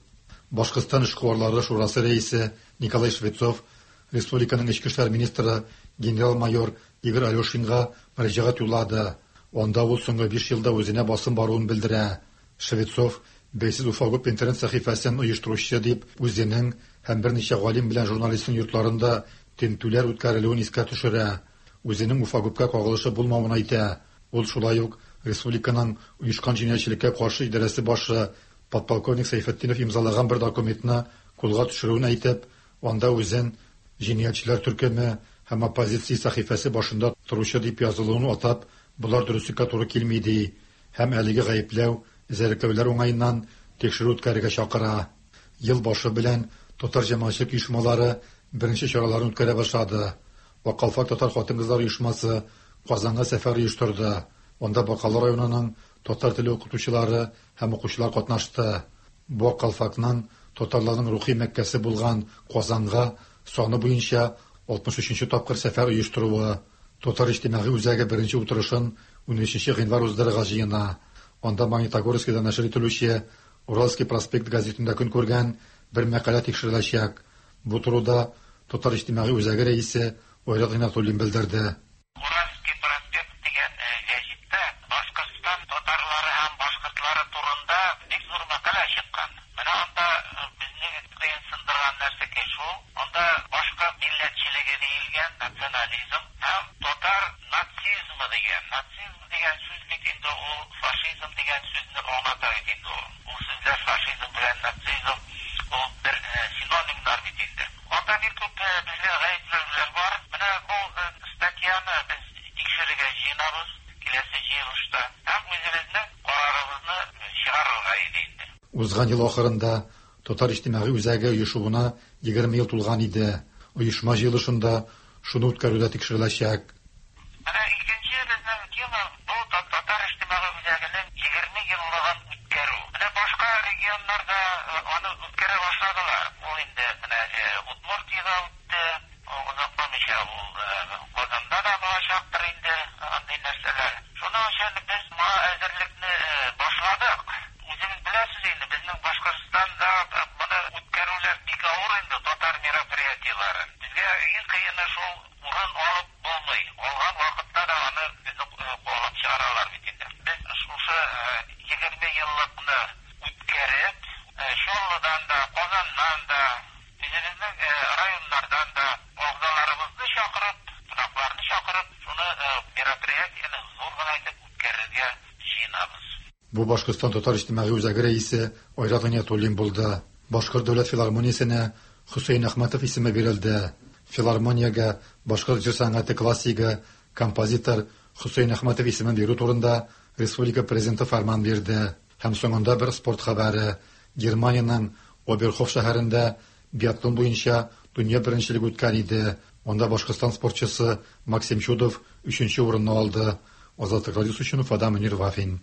Башкортстан эшкуарлары шурасы рәисе Николай Швецов республиканың эчке эшләр министры генерал-майор Игорь Алешинга мөрәҗәгать юллады. Анда ул соңгы 5 елда үзенә басым баруын белдерә. Швецов бәйсез Уфагуб интернет сәхифәсен оештыручы дип үзенең һәм берничә галим белән журналистның йортларында тентүләр үткәрелүен искә төшерә. Үзенең Уфагубка кагылышы булмавын әйтә. Ул шулай ук республиканың оешкан җинаятьчелеккә каршы идарәсе башы подполковник Сәйфетдинов имзалаган бер документны кулга төшерүен әйтеп, анда үзен җинаятьчеләр төркеме һәм оппозиция сәхифәсе башында торучы дип язылуын атап, болар дөреслеккә туры килми ди һәм әлеге гаепләү, эзәрлекләүләр уңаеннан тикшерү үткәрергә чакыра. Ел башы белән татар җәмәгатьчелек оешмалары беренче чараларын үткәрә башлады. Ак калфак татар хатын-кызлар оешмасы Казанга сәфәр оештырды. Анда Бакалы районының татар теле укытучылары һәм укучылар катнашты. Бу Ак калфакның татарларның рухи мәккәсе булган Казанга саны буенча 63 нче тапкыр сәфәр оештыруы. Татар иҗтимагый үзәге беренче утырышын 13 гыйнвар уздырырга җыена. Анда Магнитогорскида нәшер ителүче Уральский проспект газетында көн күргән бер мәкалә тикшереләчәк. Бу турыда Татар иҗтимагый үзәге рәисе Айрат Гыйнатуллин белдерде. Уральский проспект дигән гәҗиттә Башкортстан татарлары һәм башкортлары турында бик зур мәкалә чыккан. Менә анда безне кыенсындырган нәрсәкәй шул, анда башкорт милләтчелеге диелгән, национализм һәм татар нацизмы дигән. Нацизм дигән сүз бит инде ул фашизм дигән сүзне аңлата бит инде ул. Ул сүзләр фашизм белән нацизм ул бер синонимнар бит инде. Анда бик күп безгә гаепләүләр бар. Менә бу статьяны без тикшерергә җыенабыз киләсе җыелышта һәм үзебезнең карарыбызны чыгарырга иде инде. Узган ел ахырында Татар иҗтимагый үзәге оешуына 20 ел тулган иде. Оешма җыелышында шуны үткәрү дә тикшереләчәк. Менә икенче безнең тема, бу Татар иҗтимагый үзәгенең 20 еллыгын үткәрү. Менә башка регионнарда аны үткәрә башладылар. Ул инде менә әле Удмуртиядә үтте, озакламыйча ул Казанда да булачактыр инде андый нәрсәләр. Шуның өчен без моңа әзерлекне башладык. Үзегез беләсез инде, безнең Башкортстанда моны үткәрүләр бик авыр инде, татар мероприятиеләрен. Безгә иң кыены шул урын алып булмый. Алган вакытта да аны безне куалап чыгаралар бит инде. Без шушы 20 еллыкны үткәреп, Чаллыдан да, Казаннан да, үзебезнең районнардан да әгъзаларыбызны чакырып, кунакларны чакырып, шуны мероприятиене зур гына итеп үткәрергә җыенабыз. Бу Башкортстан татар иҗтимагый үзәге рәисе Айрат Гыйниятуллин булды. Башкорт дәүләт филармониясенә Хөсәен Әхмәтов исеме бирелде. Филармониягә башкорт җыр сәнгате классигы, композитор Хөсәен Әхмәтов исемен бирү турында республика президенты фәрман бирде. Һәм соңында бер спорт хәбәре. Германиянең Оберхоф шәһәрендә биатлон буенча дөнья беренчелеге үткән иде. Анда Башкортстан спортчысы Максим Чудов өченче урынны алды. Азатлык радиосы өчен Уфадан Мөнир Вафин.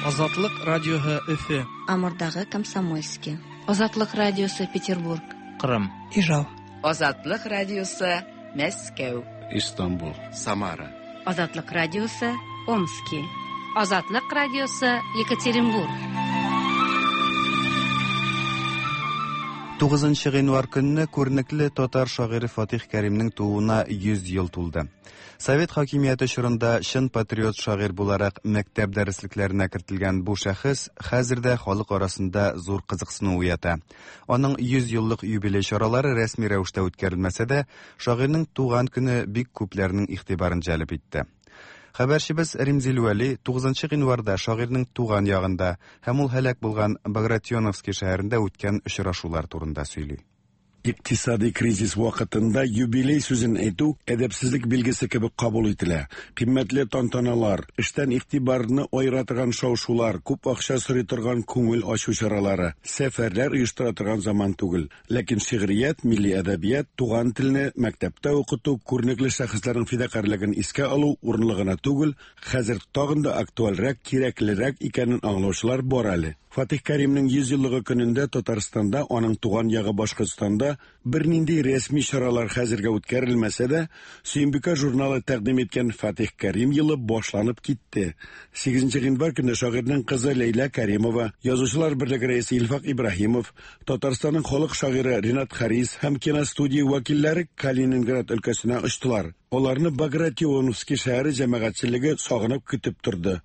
Азатлык радиоһы Өфе. Амурдагы Комсомольский. Азатлык радиосы Петербург. Кырым. Ижау. Азатлык радиосы Мәскәү. Истанбул. Самара. Азатлык радиосы Омски. Азатлык радиосы Екатеринбург. 9 гыйнвар көнне күренекле татар шагыйре Фатих Кәримнең тууына 100 ел тулды. Совет хакимияте чорында чын патриот шагыйрь буларак мәктәп дәреслекләренә кертелгән бу шәхес хәзер дә халык арасында зур кызыксыну уята. Аның 100 еллык юбилей чаралары рәсми рәвештә үткәрелмәсә дә, шагыйрьнең туган көне бик күпләрнең игътибарын җәлеп итте. Хәбәрчебез Римзил Вәли 9 гыйнварда шагыйрьнең туган ягында һәм ул һәлак булган Багратионовский шәһәрендә үткән очрашулар турында сөйли. Икътисади кризис вакытында юбилей сүзен әйтү әдәпсезлек билгесе кебек кабул ителә. Кыйммәтле тантаналар, эштән игътибарны аера торган шау-шулар, күп акча сорый торган күңел ачу чаралары, сәфәрләр оештыра торган заман түгел. Ләкин шигърият, милли әдәбият, туган телне мәктәптә укыту, күренекле шәхесләрнең фидакарьлеген искә алу урынлы гына түгел, хәзер тагын да актуальрәк, кирәклерәк икәнен аңлаучылар бар әле. Фатих Кәримнең 100 еллыгы көнендә Татарстанда, аның туган ягы Башкортстанда бернинди рәсми чаралар хәзергә үткәрелмәсә дә, Сөембикә журналы тәкъдим иткән Фатих Кәрим елы башланып китте. 8 гыйнвар көнне шагыйрьнең кызы Ләйлә Кәримова, Язучылар берлеге рәисе Илфак Ибраһимов, Татарстанның халык шагыйре Ренат Харис һәм киностудия вәкилләре Калининград өлкәсенә очтылар. Аларны Багратионовский шәһәре җәмәгатьчелеге сагынып көтеп торды.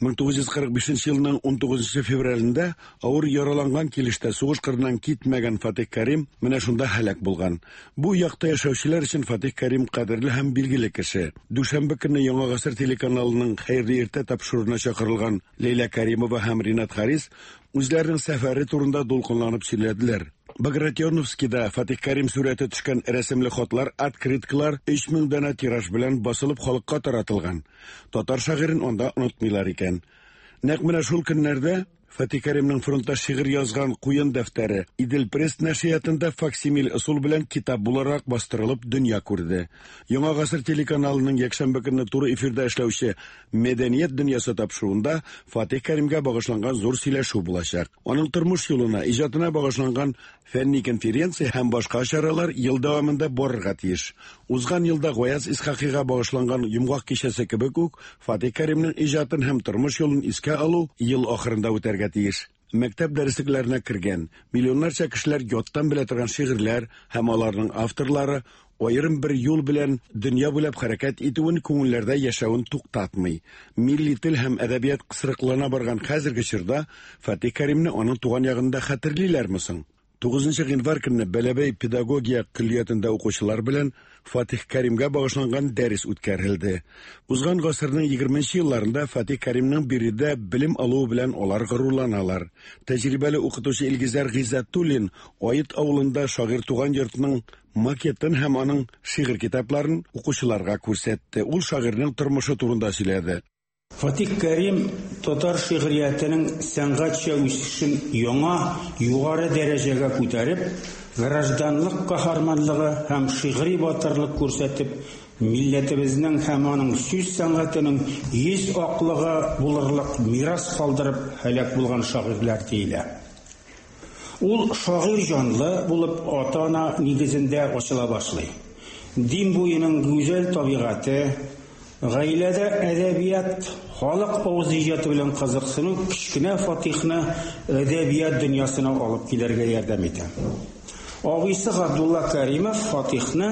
1945 елның 19 февралендә авыр яраланган килештә сугыш кырыннан китмәгән Фатих Кәрим менә шунда һәлак булган. Бу якта яшәүчеләр өчен Фатих Кәрим кадерле һәм билгеле кеше. Дүшәмбе көнне Яңа гасыр телеканалының Хәерле иртә тапшыруына чакырылган Ләйлә Кәримова һәм Ринат Харис үзләренең сәфәре турында дулкынланып сөйләделәр. Багратионовскийда Фатих Кәрим сурәте төшкән рәсемле хатлар, открыткалар 3000 данә тираж белән басылып халыкка таратылган. Татар шагыйрен анда онытмыйлар икән. Нәкъ менә шул көннәрдә Фатих Кәримнең фронтта шигырь язган куен дәфтәре Идел Пресс нәшриятында факсимиль ысул белән китап буларак бастырылып дөнья күрде. Яңа гасыр телеканалының якшәмбе көнне туры эфирда эшләүче Мәдәният дөньясы тапшыруында Фатих Кәримгә багышланган зур сөйләшү булачак. Аның тормыш юлына, иҗатына багышланган фәнни конференция һәм башка чаралар ел дәвамында барырга тиеш. Узган елда Гаяз Исхакыйга багышланган йомгак кичәсе кебек үк, Фатих Кәримнең иҗатын һәм тормыш юлын искә алу ел ахырында үтәргә тиеш. Мәктәп дәреслекләренә кергән, миллионнарча кешеләр яттан белә торган шигырьләр һәм аларның авторлары аерым бер юл белән дөнья буйлап хәрәкәт итүен, күңелләрдә яшәвен туктатмый. Милли тел һәм әдәбият кысрыклана барган хәзерге чорда Фатих Кәримне аның туган ягында хәтерлиләрме соң? 9 гыйнвар көнне Бәләбәй педагогия көллиятендә укучылар белән Фатих Кәримгә багышланган дәрес үткәрелде. Узган гасырның 20 елларында Фатих Кәримнең биредә белем алуы белән алар горурланалар. Тәҗрибәле укытучы Илгизәр Гыйззәтуллин Ает авылында шагыйрь туган йортның макетын һәм аның шигырь китапларын укучыларга күрсәтте. Ул шагыйрьнең тормышы турында сөйләде. Фатих Кәрим татар шигъриятенең сәнгатьчә үсешен яңа, югары дәрәҗәгә күтәреп, гражданлык каһарманлыгы һәм шигъри батырлык күрсәтеп, милләтебезнең һәм аның сүз сәнгатенең йөз аклыгы булырлык мирас калдырып һәлак булган шагыйрьләр диелә. Ул шагыйрь җанлы булып ата-ана нигезендә ачыла башлый. Дим буеның гүзәл табигате, гаиләдә әдәбият, халык авыз иҗаты белән кызыксыну кечкенә Фатихны әдәбият дөньясына алып килергә ярдәм итә. Абыйсы Габдулла Кәримов Фатихны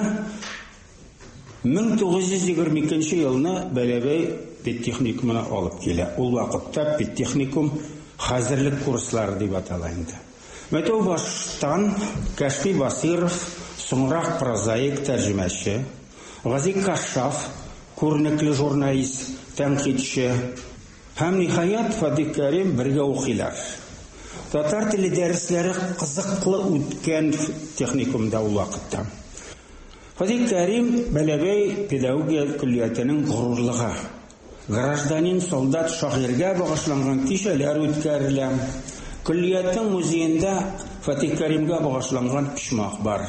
1922 елны Бәләбәй педтехникумына алып килә. Ул вакытта педтехникум хәзерлек курслары дип атала инде. Мәтәү баштан Кәшфи Басыйров, соңрак прозаик, тәрҗемәче, Гази Кашшаф, күренекле журналист, тәнкыйтьче һәм ниһаять Фатих Кәрим бергә укыйлар. Татар теле дәресләре кызыклы үткән техникумда ул вакытта. Фатих Кәрим Бәләбәй педагогия көллиятенең горурлыгы. Гражданин солдат шагыйрьгә багышланган кичәләр үткәрелә. Көллиятнең музеенда Фатих Кәримгә багышланган почмак бар.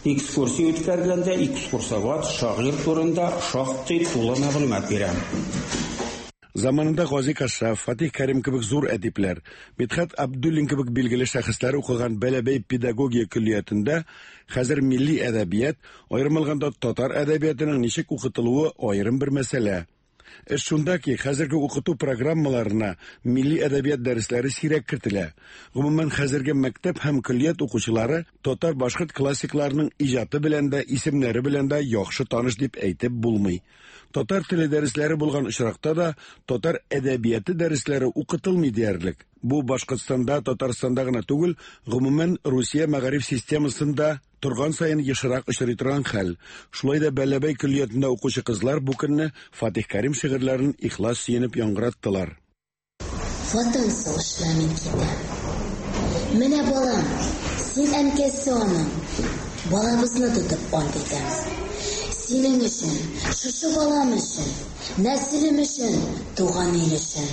Экскурсия үткәргәндә экскурсовод шагыйрь турында шактый тулы мәгълүмат бирә. Заманында Гази Кашшаф, Фатих Кәрим кебек зур әдипләр, Мидхәт Абдуллин кебек билгеле шәхесләр укыган Бәләбәй педагогия көллиятендә хәзер милли әдәбият, аерым алганда татар әдәбиятының ничек укытылуы аерым бер мәсьәлә. Эш шунда ки, хәзерге укыту программаларына милли әдәбият дәресләре сирәк кертелә. Гомумән, хәзерге мәктәп һәм көллият укучылары татар-башкорт классикларының иҗаты белән дә, исемнәре белән дә яхшы таныш дип әйтеп булмый. Татар теле дәресләре булган очракта да татар әдәбияты дәресләре укытылмый диярлек. Бу Башкортстанда, Татарстанда гына түгел, гомумән Русия мәгариф системасында торган саен ешрак очрый торган хәл. Шулай да Бәләбәй көллиятендә укучы кызлар бу көнне Фатих Кәрим шигырьләрен ихлас сөенеп яңгыраттылар. Ватан сугышына мин китәм. Менә балам, син әнкәсе аның. Балабызны тотып ант итәм. Синең өчен, шушы балам өчен, нәселем өчен, туган ил өчен.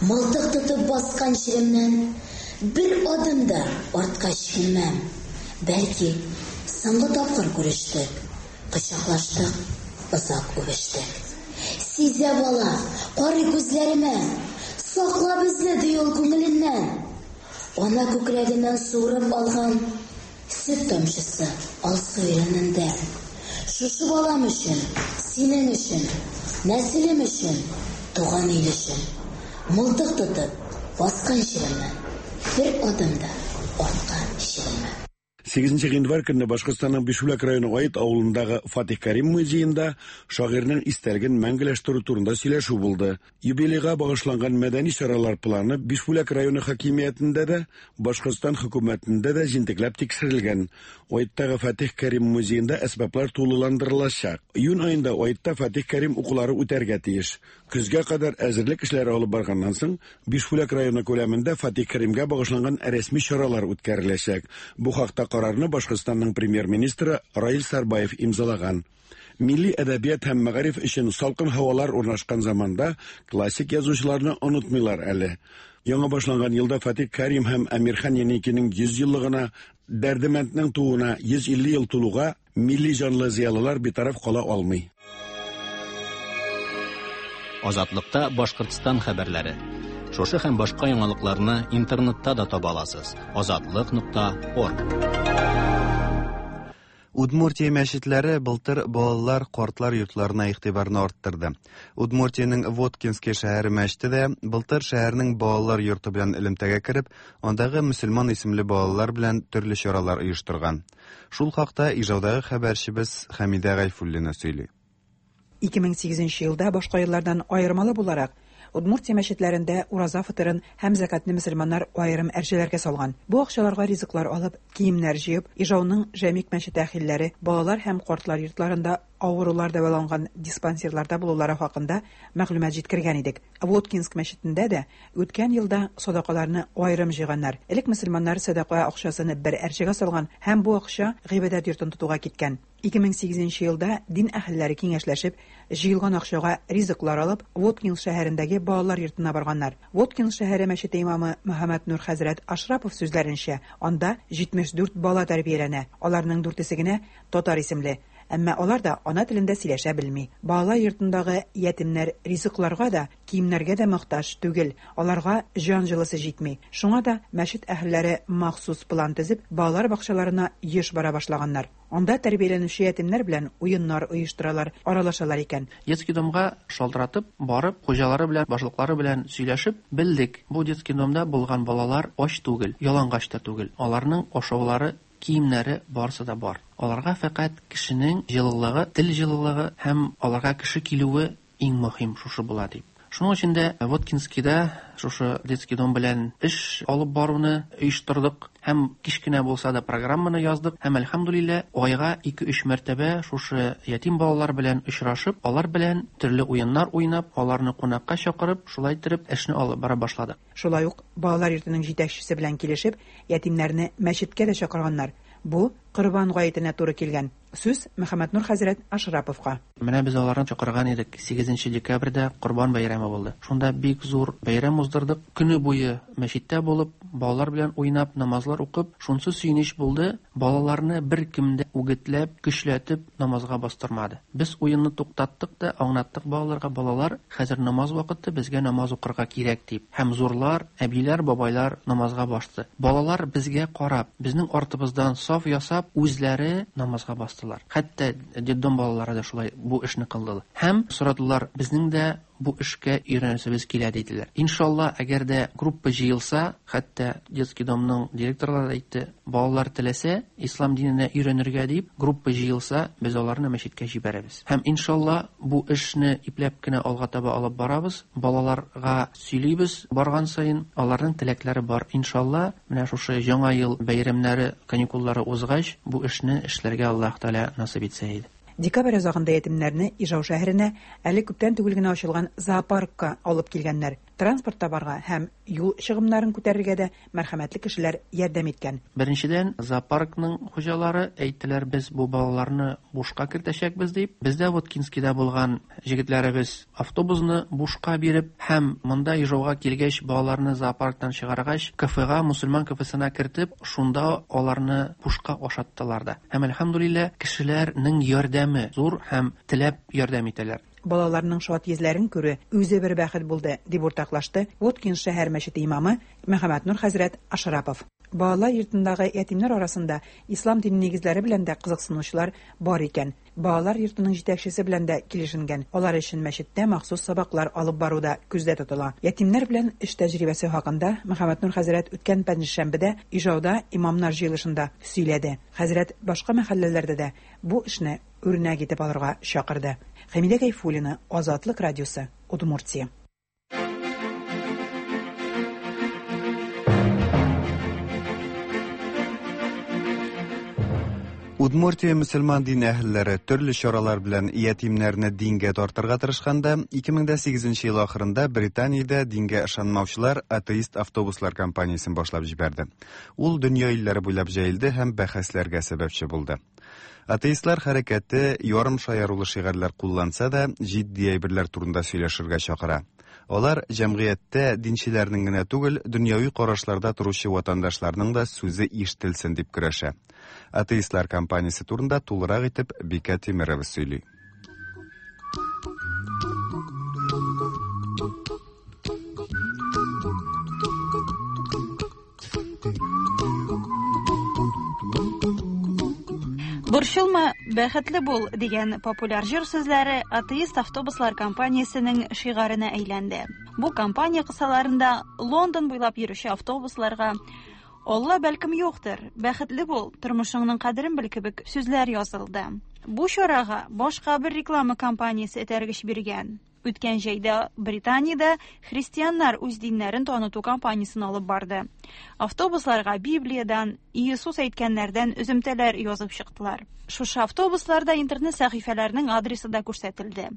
Мылтык тотып баскан җиремнән бер адым да артка чигенмәм. Бәлки, соңгы тапкыр күрештек, кочаклаштык, озак үбештек. Сизә бала, карый күзләремә, сакла безне, ди ул күңеленнән. Ана күкрәгеннән суырып алган сөт тамчысы алсу иренендә. Шушы балам өчен, синең өчен, нәселем өчен, туган ил өчен. Мылтык тотып, баскан җиремнән бер адым да артка чигенмәм. 8 гыйнвар көнне Башкортстанның Бишбүләк районы Ает авылындагы Фатих Кәрим музеенда шагыйрьнең истәлеген мәңгеләштерү турында сөйләшү булды. Юбилейга багышланган мәдәни чаралар планы Бишбүләк районы хакимиятендә дә, Башкортстан хөкүмәтендә дә җентекләп тикшерелгән. Аеттагы Фатих Кәрим музеенда әсбаплар тулыландырылачак. Июнь аенда Аетта Фатих Кәрим укулары үтәргә тиеш. Көзгә кадәр әзерлек эшләре алып барганнан соң, Бишбүләк районы күләмендә Фатих Кәримгә багышланган рәсми чаралар үткәреләчәк. Бу хакта карарны Башкортстанның премьер-министры Раил Сарбаев имзалаган. Милли әдәбият һәм мәгариф өчен салкын һавалар урнашкан заманда классик язучыларны онытмыйлар әле. Яңа башланган елда Фатих Кәрим һәм Әмирхан Еникинең 100 еллыгына, Дәрдемәнднең тууына 150 ел тулуга милли җанлы зыялылар битараф кала алмый. Азатлыкта Башкортстан хәбәрләре. Шушы һәм башка яңалыкларны интернетта да таба аласыз. Азатлык.орг. Удмуртия мәчетләре былтыр балалар, картлар йортларына игътибарны арттырды. Удмуртиянең Воткинский шәһәре мәчете дә былтыр шәһәрнең балалар йорты белән элемтәгә кереп, андагы мөселман исемле балалар белән төрле чаралар оештырган. Шул хакта Ижаудагы хәбәрчебез Хәмидә Гайфуллина сөйли. 2008 елда башка еллардан аермалы буларак, Удмуртия мәчетләрендә ураза фытырын һәм зәкатны мөселманнар аерым әрҗәләргә салган. Бу акчаларга ризыклар алып, киемнәр җыеп, Ижауның Жәмик мәчете әхилләре балалар һәм картлар йортларында авырулар дәваланган диспансерларда булулары хакында мәгълүмат җиткергән идек. Воткинск мәчетендә дә үткән елда садакаларны аерым җыйганнар. Элек мөселманнар сәдака акчасын бер әрҗәгә салган һәм бу акча гыйбадәт йортын тотуга киткән. 2008 елда дин әһелләре киңәшләшеп, җыелган акчага ризыклар алып, Воткинск шәһәрендәге балалар йортына барганнар. Воткинск шәһәре мәчете имамы Мөхәммәтнур хәзрәт Ашрапов сүзләренчә, анда 74 бала тәрбияләнә. Аларның дүртесе генә татар исемле. Әмма алар да ана телендә сөйләшә белми. Балалар йортындагы ятимнәр ризыкларга да, киемнәргә дә мохтаҗ түгел. Аларга җан җылысы җитми. Шуңа да мәчет әһелләре махсус план төзеп, балалар бакчаларына еш бара башлаганнар. Анда тәрбияләнүче ятимнәр белән уеннар оештыралар, аралашалар икән. Детский домга шалтыратып, барып, хуҗалары белән, башлыклары белән сөйләшеп белдек. Бу детский домда булган балалар ач түгел, ялангач та түгел. Аларның ашаулары, киемнәре барысы да бар. Аларга фәкать кешенең җылылыгы, тел җылылыгы һәм аларга кеше килүе иң мөһим шушы була дип. Шуның өчен дә Воткинскийда шушы детский дом белән эш алып баруны оештырдык һәм кечкенә булса да программаны яздык һәм әлхәмдулилла айга 2-3 мәртәбә шушы ятим балалар белән очрашып, алар белән төрле уеннар уйнап, аларны кунакка чакырып, шулай иттереп эшне алып бара башладык. Шулай ук балалар йортының җитәкчесе белән килешеп, ятимнәрне мәчеткә дә чакырганнар. Бу Корбан гаетенә туры килгән. Сүз Мөхәммәтнур хәзрәт Ашраповка. Менә без аларны чакырган идек. 8 декабрьдә Корбан бәйрәме булды. Шунда бик зур бәйрәм уздырдык. Көне буе мәчеттә булып, балалар белән уйнап, намазлар укып, шунсы сөенеч булды. Балаларны беркем дә үгетләп, көчләтеп намазга бастырмады. Без уенны туктаттык та, аңлаттык балаларга, балалар, хәзер намаз вакыты, безгә намаз укырга кирәк дип. Һәм зурлар, әбиләр, бабайлар намазга басты. Балалар безгә карап, безнең артыбыздан саф ясап, үзләре намазга бастылар. Хәтта детдом балалары да шулай бу эшне кылдылар. Һәм сорадылар, безнең дә бу эшкә өйрәнәсебез килә диделәр. Иншалла, әгәр дә группа җыелса, хәтта детский домның директорлары да әйтте, балалар теләсә, ислам диненә өйрәнергә дип, группа җыелса, без аларны мәчеткә җибәрәбез. Һәм иншалла, бу эшне ипләп кенә алга таба алып барабыз, балаларга сөйлибез барган саен, аларның теләкләре бар. Иншалла, менә шушы яңа ел бәйрәмнәре, каникуллары узгач, бу эшне эшләргә Аллаһ Тәгалә насыйп итсә иде. Декабрь азагында ятимнәрне Ижау шәһәренә әле күптән түгел генә ачылган зоопаркка алып килгәннәр. Транспорт табарга һәм юл чыгымнарын күтәрергә дә мәрхәмәтле кешеләр ярдәм иткән. Беренчедән, зоопаркның хуҗалары әйттеләр, без бу балаларны бушка кертәчәкбез дип. Бездә Воткинскида булган җегетләребез автобусны бушка биреп һәм монда Ижауга килгәч, балаларны зоопарктан чыгаргач, кафега, мусульман кафесына кертеп, шунда аларны бушка ашаттылар да. Һәм, әлхәмдүлилләһ, кешеләрнең ярдәме зур һәм теләп ярдәм итәләр. Балаларның шат йөзләрен күрү үзе бер бәхет булды, дип уртаклашты Воткинск шәһәр мәчете имамы Мөхәммәтнур хәзрәт Ашрапов. Балалар йортындагы ятимнәр арасында ислам дине нигезләре белән дә кызыксынучылар бар икән. Балалар йортының җитәкчесе белән дә килешенгән, алар өчен мәчеттә махсус сабаклар алып бару да күздә тотыла. Ятимнәр белән эш тәҗрибәсе хакында Мөхәммәтнур хәзрәт үткән пәнҗешәмбедә Ижауда имамнар җыелышында сөйләде. Хәзрәт башка мәхәлләләрдә дә бу эшне үрнәк итеп алырга чакырды. Хәмидә Гайфуллина, Азатлык радиосы, Удмуртия. Удмуртия мөселман дин әһелләре төрле чаралар белән ятимнәрне дингә тартырга тырышканда, 2008 ел ахырында Британиядә дингә ышанмаучылар атеист автобуслар кампаниясен башлап җибәрде. Ул дөнья илләре буйлап җәелде һәм бәхәсләргә сәбәпче булды. Атеистлар хәрәкәте ярым шаярулы шигарьләр кулланса да, җитди әйберләр турында сөйләшергә чакыра. Алар җәмгыятьтә динчеләрнең генә түгел, дөньяви карашларда торучы ватандашларның да сүзе ишетелсен дип көрәшә. Атеистлар кампаниясе турында тулырак итеп Бикә Тимерова сөйли. Борчылма, бәхетле бул дигән популяр җыр сүзләре атеист автобуслар компаниясенең шигаренә әйләнде. Бу компания кысаларында Лондон буйлап йөрүче автобусларга Алла бәлкем юктыр, бәхетле бул, тормышыңның кадерен бел кебек сүзләр язылды. Бу чарага башка бер реклама компаниясе этәргеч биргән. Үткән җәйдә Британиядә христианнар үз диннәрен таныту кампаниясен алып барды. Автобусларга Библиядән, Иисус әйткәннәрдән өземтәләр язып чыктылар. Шушы автобусларда интернет сәхифәләренең адресы да күрсәтелде.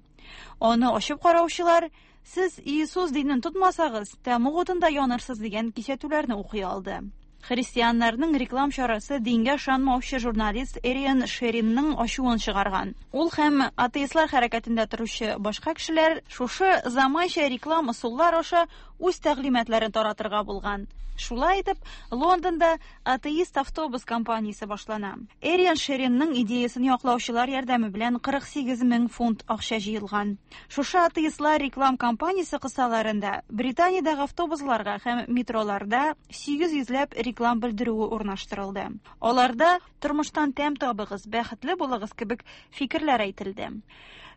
Аны ачып караучылар, Сез Иисус динен тотмасагыз, тәмуг утында янырсыз дигән кисәтүләрне укый алды. Христианнарның реклам чарасы дингә ышанмаучы журналист Эриан Шеринның ачуын чыгарган. Ул һәм атеистлар хәрәкәтендә торучы башка кешеләр шушы заманча реклам ысуллар аша үз тәгълиматларын таратырга булган. Шулай итеп, Лондонда атеист автобус кампаниясе башлана. Эриан Шеринның идеясен яклаучылар ярдәме белән 48 мең фунт акча җыелган. Шушы атеистлар реклам кампаниясе кысаларында Британиядәге автобусларга һәм метроларда 800 ләп реклам белдерүе урнаштырылды. Аларда тормыштан тәм табыгыз, бәхетле булыгыз кебек фикерләр әйтелде.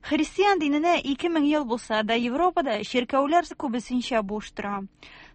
Христиан диненә 2000 ел булса да, Европада чиркәүләр күбесенчә буш тора.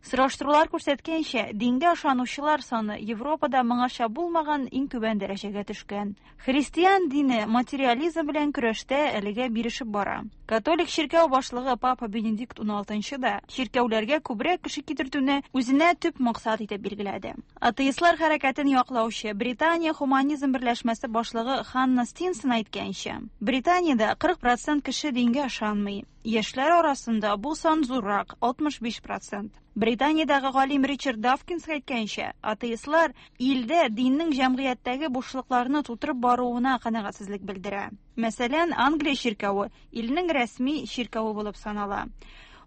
Сораштырулар күрсәткәнчә, дингә ышанучылар саны Европада моңарча булмаган иң түбән дәрәҗәгә төшкән. Христиан дине материализм белән көрәштә әлегә бирешеп бара. Католик чиркәү башлыгы Папа Бенедикт уналтынчы да чиркәүләргә күбрәк кеше китертүне үзенә төп максат итеп билгеләде. Атеистлар хәрәкәтен яклаучы Британия хуманизм берләшмәсе башлыгы Ханна Стинсон әйткәнчә, Британиядә 40 процент кеше дингә ышанмый. Яшьләр арасында бу сан зуррак, 65 процент. Британиядәге галим Ричард Давкинс әйткәнчә, атеистлар илдә диннең җәмгыятьтәге бушлыкларны тутырып баруына канәгатьсезлек белдерә. Мәсәлән, Англия чиркәве илнең рәсми чиркәве булып санала.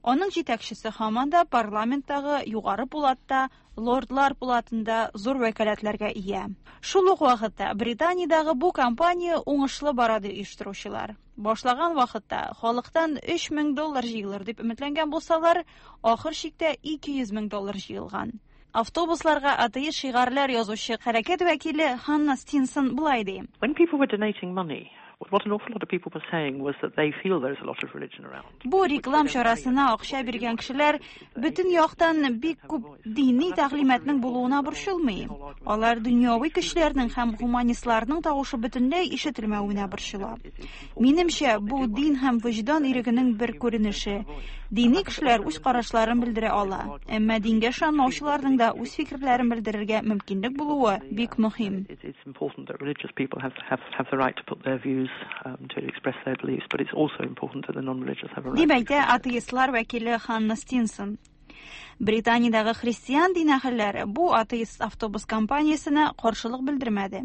Аның җитәкчесе һаман да парламенттагы югары пулатта, лордлар пулатында зур вәкаләтләргә ия. Шул ук вакытта Британиядәге бу кампания уңышлы бара ди оештыручылар. Башлаган вакытта халыктан 3000 доллар җыелыр дип өметләнгән булсалар, ахыр чиктә 200 мең доллар җыелган. Автобусларга атеист шигарьләр язучы хәрәкәт вәкиле Ханна Стинсон болай ди. When people were donating money, what an awful lot of people were saying was that they feel there's a lot of religion around. Бу реклам чарасына акча биргән кешеләр бөтен яктан бик күп дини тәгълиматның булуына борчылмый. Алар дөньяви көчләрнең һәм гуманистларның тавышы бөтенләй ишетелмәвенә борчыла. Минемчә, бу дин һәм вөҗдан ирегенең бер күренеше. Дини кешеләр үз карашларын белдерә ала, әмма дингә ышанмаучыларның да үз фикерләрен белдерергә мөмкинлек булуы бик мөһим. Дип әйтә атеистлар вәкиле Ханна Стинсон. Британиядәге христиан дин әһелләре бу атеист автобус компаниясенә каршылык белдермәде.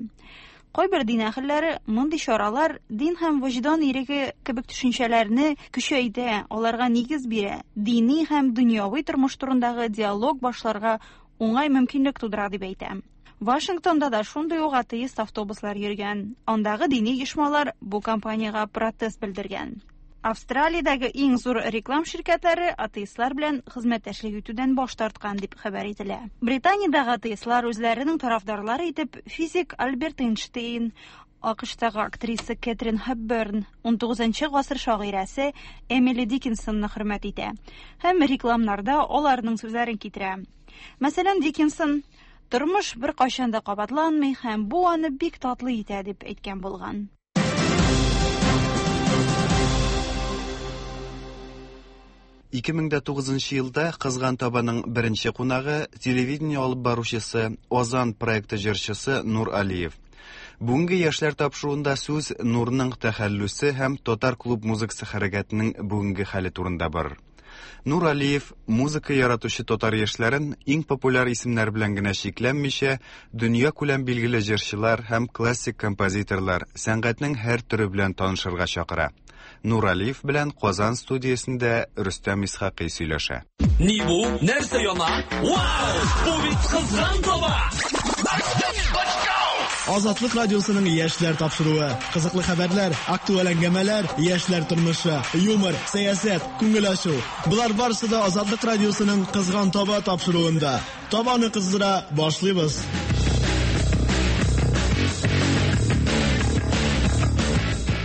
Кайбер дин әһелләре мондый чаралар дин һәм вөҗдан иреге кебек төшенчәләрне көчәйтә, аларга нигез бирә, дини һәм дөньяви тормыш турындагы диалог башларга уңай мөмкинлек тудыра дип әйтә. Вашингтонда да шундый ук атеист автобуслар йөргән. Андагы дини оешмалар бу компаниягә протест белдергән. Австралиядәге иң зур реклам ширкәтләре атеистлар белән хезмәттәшлек итүдән баш тарткан дип хәбәр ителә. Британиядәге атеистлар үзләренең тарафдарлары итеп физик Альберт Эйнштейн, АКШтагы актриса Кэтрин Хепберн, 19 гасыр шагыйрәсе Эмили Диккенсонны хөрмәт итә һәм рекламнарда аларның сүзләрен китерә. Мәсәлән, Диккенсон Тормыш беркайчан да кабатланмый һәм бу аны бик татлы итә дип әйткән булган. 2009 елда Кызган табаның беренче кунагы телевидение алып баручысы, Озан проекты җырчысы Нур Алиев. Бүгенге яшьләр тапшыруында сүз Нурның тәхәллүсе һәм татар клуб музыкасы хәрәкәтенең бүгенге хәле турында барыр. Нур Алиев музыка яратучы татар яшьләрен иң популяр исемнәр белән генә чикләнмичә, дөнья күләм билгеле җырчылар һәм классик композиторлар, сәнгатьнең һәр төре белән танышырга чакыра. Нур Алиев белән Казан студиясендә Рөстәм Исхакый сөйләшә. Ни бу? Нәрсә яна? Вау! Бу бит кызган таба! Азатлык радиосының яшьләр тапшыруы. Кызыклы хәбәрләр, актуаль әңгәмәләр, яшьләр тормышы, юмор, сәясәт, күңел ачу. Болар барысы да Азатлык радиосының Кызган таба тапшыруында. Табаны кыздыра башлыйбыз.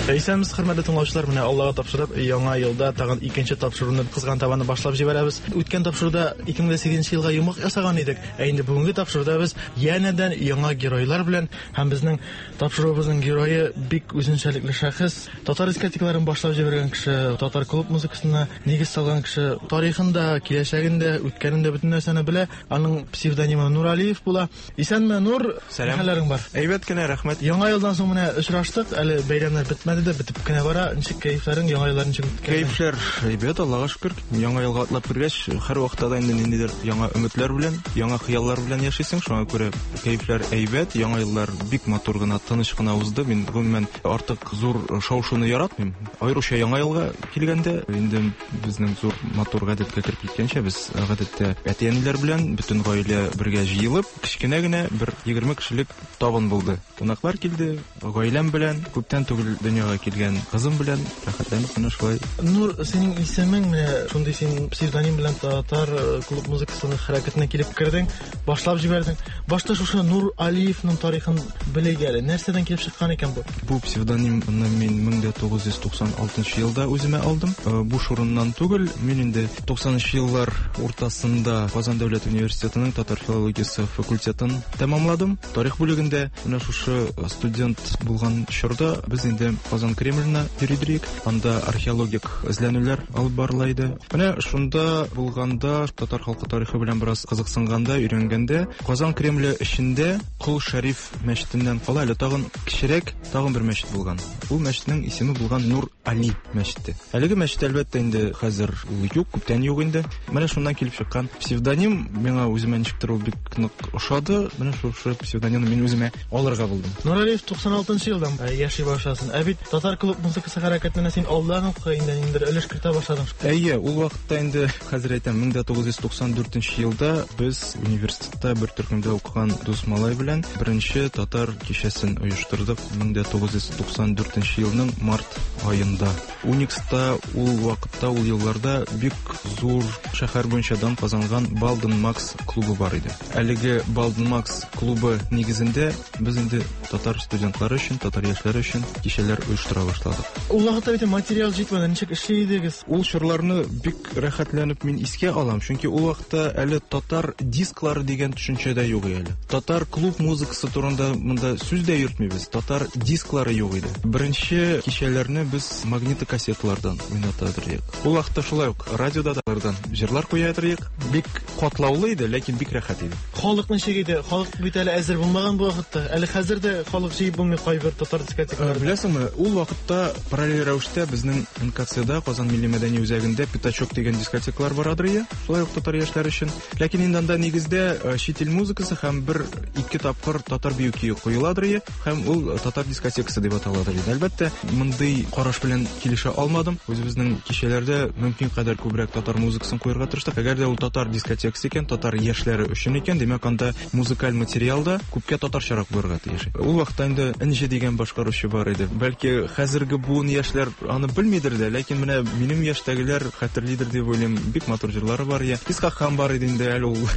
Исәнмесез, хөрмәтле тыңлаучылар. Менә Аллага тапшырып, яңа елда тагын икенче тапшыруны Кызган табаны башлап җибәрәбез. Үткән тапшыруда 2008 елга йомгак ясаган идек. Ә инде бүгенге тапшыруда без янәдән яңа геройлар белән һәм безнең тапшыруыбызның герое бик үзенчәлекле шәхес, татар дискотекаларын башлап җибәргән кеше, татар клуб музыкасына нигез салган кеше, тарихын да, киләчәген дә, үткәнен дә бөтен нәрсәне белә. Аның псевдонимы Нуралиев була. Исәнме, Нур? Сәлам. Хәлләрең бар? Әйбәт кенә, рәхмәт. Яңа елдан соң менә очраштык, әле бәйрәмнәр бетмәде дә, бетеп кенә бара. Ничек кәефләрең, яңа еллар ничек үткәрдең? Кәефләр әйбәт, Аллага шөкер. Яңа елга атлап кергәч, һәрвакытта да инде ниндидер яңа өметләр белән, яңа хыяллар белән яшисең. Шуңа күрә кәефләр әйбәт. Яңа еллар бик матур гына, тыныч кына узды. Мин гомумән артык зур шау-шуны яратмыйм. Аеруча яңа елга килгәндә, инде Безнең зур матур гадәткә кереп киткәнчә, без гадәттә әти-әниләр белән бөтен гаилә бергә җыелып, кечкенә генә бер 20 кешелек табын булды. Кунаклар килде, гаиләм белән, күптән түгел дөньяга килгән кызым белән рәхәтләнеп менә шулай. Нур, синең исемең менә шундый син псевдоним белән татар э, клуб музыкасының хәрәкәтенә килеп кердең, башлап җибәрдең. Башта шушы Нур Алиевның тарихын белик әле. Нәрсәдән килеп чыккан икән бу? Бу псевдонимны мин 1996 елда үземә алдым. Э, буш урыннан түгел, мин инде 90 еллар уртасында Казан дәүләт университетының татар филологиясе факультетын тәмамладым. Тарих бүлегендә менә шушы студент булган чорда без инде Казан Кремленә йөри идек. Анда археологик эзләнүләр алып барыла иде. Менә шунда булганда, татар халкы тарихы белән бераз кызыксынганда, өйрәнгәндә, Казан Кремле эчендә Кол Шәриф мәчетеннән кала әле тагын кечерәк тагын бер мәчет булган. Ул мәчетнең исеме булган Нур Али мәчете. Әлеге мәчет әлбәттә инде хәзер ул юк, күптән юк инде. Менә шуннан килеп чыккан псевдоним миңа үземә ничектер ул бик нык ошады. Менә шушы псевдонимны мин үземә алырга булдым. Нуралиев 96 елдан э, яши башласын. Ә бит татар клуб музыкасы хәрәкәтенә син алдан ук инде ниндидер өлеш кертә башладың. Әйе, ул вакытта инде хәзер әйтәм, 1994 елда без университетта бер төркемдә укыган дус малай белән беренче татар кичәсен оештырдык 1994 елның март аенда. Уникста ул вакытта, ул елларда бик зур шәһәр буенча дан казанган Балден Макс клубы бар иде. Әлеге Балден Макс клубы нигезендә без инде татар студентлары өчен, татар яшьләре өчен кичәләр оештыра башладык. Ул вакытта бит материал җитмәде, ничек эшли идегез? Ул чорларны бик рәхәтләнеп мин искә алам, чөнки ул вакытта әле татар дисклары дигән төшенчә дә юк әле. Татар клуб музыкасы турында монда сүз дә йөртмибез, татар дисклары юк иде. Беренче кичәләрне без магнитокассеталардан уйната идек. Ул вакытта шулай ук радиода да җырлар куя идек. Бик катлаулы иде, ләкин бик рәхәт иде. Халык ничек иде? Халык бит әле әзер булмаган бу вакытта. Әле хәзер дә халык җыеп булмый кайбер татар дискотекаларында. Беләсеңме, Ул вакытта параллель рәвештә безнең НКЦда, Казан милли мәдәни үзәгендә Пятачок дигән дискотекалар барадыр иде, шулай ук татар яшьләре өчен. Ләкин инде анда нигездә чит ил музыкасы һәм бер-ике тапкыр татар бию көе куеладыр иде, һәм ул татар дискотекасы дип аталадыр иде. Әлбәттә, мондый караш белән килешә алмадым. Үзебезнең кичәләрдә мөмкин кадәр күбрәк татар музыкасын куярга тырыштык. Әгәр дә ул татар дискотекасы икән, татар яшьләре өчен икән, димәк, анда музыкаль материал да күпкә татарчарак булырга тиеш. Ул вакытта инде Энҗе дигән башкаручы бар иде. Бәлки хәзерге буын яшьләр аны белмидер дә, ләкин менә минем яшьтәгеләр хәтерлидер дип уйлыйм. Бик матур җырлары бар иде. Исхак хан бар иде инде әле ул.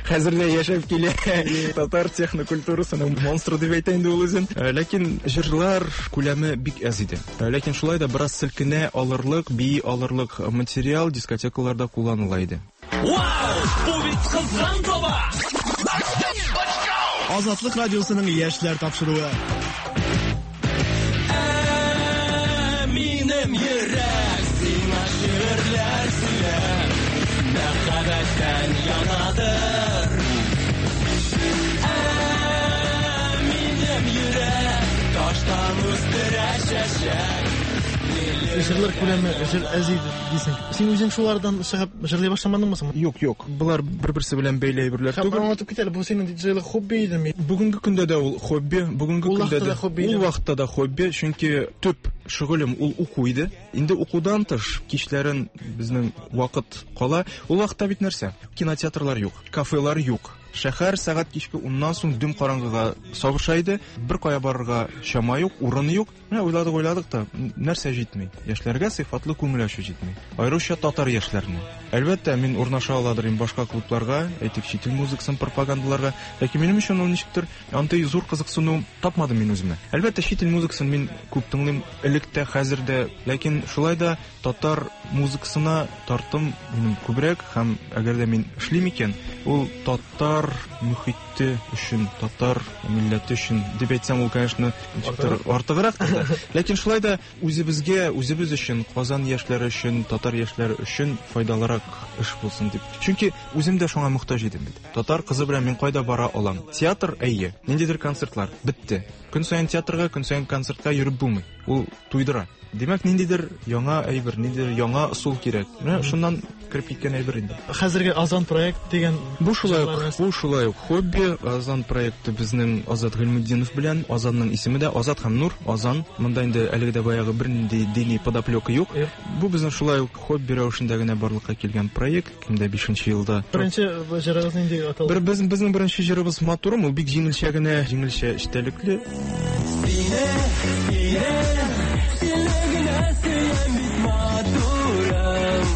Хәзер дә яшәп килә. Татар технокультурасының монстры дип әйтә инде ул үзен. Ләкин җырлар күләме бик әз иде. Ләкин шулай да бераз селкенә алырлык, бии алырлык материал дискотекаларда кулланыла иде. Вау! Бу бит кызган таба! Азатлык радиосының яшьләр тапшыруы. Ә, минем йөрәк сиңа шигырьләр сөйләп, мәхәббәттән янадыр. Ә, минем йөрәк таштан үстерә чәчәк. Җырлар күләме җыр әз иде дисең. Син үзең шулардан чыгып җырлый башламадыңмы соң? Юк, юк. Болар бер-берсе белән бәйле әйберләр Һәм түгел. аңлатып кит әле, бу синең диджейлык хобби идеме? Бүгенге көндә дә ул хобби, бүгенге Ул көндә вакытта дә да хобби ул идеме? вакытта да хобби, чөнки төп шөгылем ул уку иде. Инде укудан тыш кичләрен безнең вакыт кала. Ул вакытта бит нәрсә? Кинотеатрлар юк, кафелар юк. Шәһәр сәгать кичке уннан соң дөм караңгыга сабыша иде. Бер кая барырга чама юк, урын юк. Менә уйладык, уйладык та, нәрсә җитми? Яшьләргә сыйфатлы күңел ачу җитми. Аеруча татар яшьләренә. Әлбәттә, мин урнаша аладыр инде башка клубларга, әйтик, чит ил музыкасын пропагандаларга. Ләкин минем өчен ул ничектер андый зур кызыксыну тапмадым мин үземә. Әлбәттә, чит ил музыкасын мин күп тыңлыйм, элек тә, хәзер дә. Ләкин шулай да татар музыкасына тартым минем күбрәк һәм әгәр дә мин эшлим икән, ул татар мөхите өчен, татар милләте өчен дип әйтсәм, ул, конечно, ничектер артыграк та. Ләкин шулай да үзебезгә, үзебез өчен, Казан яшьләре өчен, татар яшьләре өчен файдалырак эш булсын дип. Чөнки үзем дә шуңа мохтаҗ идем бит. Татар кызы белән мин кайда бара алам? Театр, әйе. Ниндидер концертлар, бетте. Көн саен театрга, көн саен концертка йөреп булмый. Ул туйдыра. Димәк, ниндидер яңа әйбер, ниндидер яңа ысул кирәк. Менә шуннан кереп киткән әйбер инде. Хәзерге Азан проект дигән Бу шулай ук, бу шулай ук хобби. Азан проекты безнең Азат Гыйльметдинов белән. Азанның исеме дә Азат һәм Нур. Азан. Монда инде әлеге дә баягы бернинди дини подоплека юк. Бу безнең шулай ук хобби рәвешендә генә барлыкка килгән проект. Кимдә 5 елда. Беренче җырыгыз нинди аталды? Бер без, безнең беренче җырыбыз Матурым, ул бик җиңелчә генә, җиңелчә эчтәлекле. Сине, сине, сине генә сөям бит матурым.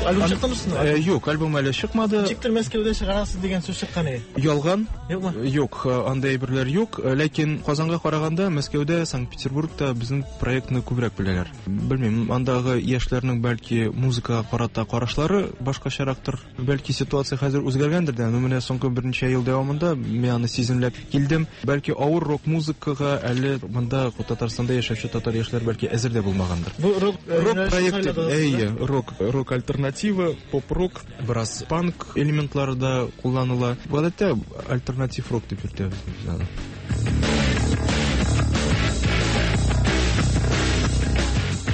Альбом чыктымы соң? Юк, альбом әле чыкмады. Ничектер Мәскәүдә чыгарасыз дигән сүз чыккан иде. Ялган. Юкмы? Юк, андый әйберләр юк. Ләкин Казанга караганда Мәскәүдә, Санкт-Петербургта безнең проектны күбрәк беләләр. Белмим, андагы яшьләрнең бәлки музыкага карата карашлары башкачарактыр. Бәлки ситуация хәзер үзгәргәндер дә, но менә соңгы берничә ел дәвамында мин аны сиземләп килдем. Бәлки авыр рок музыкага әле монда Татарстанда яшәүче татар яшьләр бәлки әзер дә булмагандыр. Бу рок Рок проекты, әйе, рок, рок альтернатива, поп-рок, бераз панк элементлары да кулланыла. Гадәттә альтернатив рок дип йөртәбез без аны.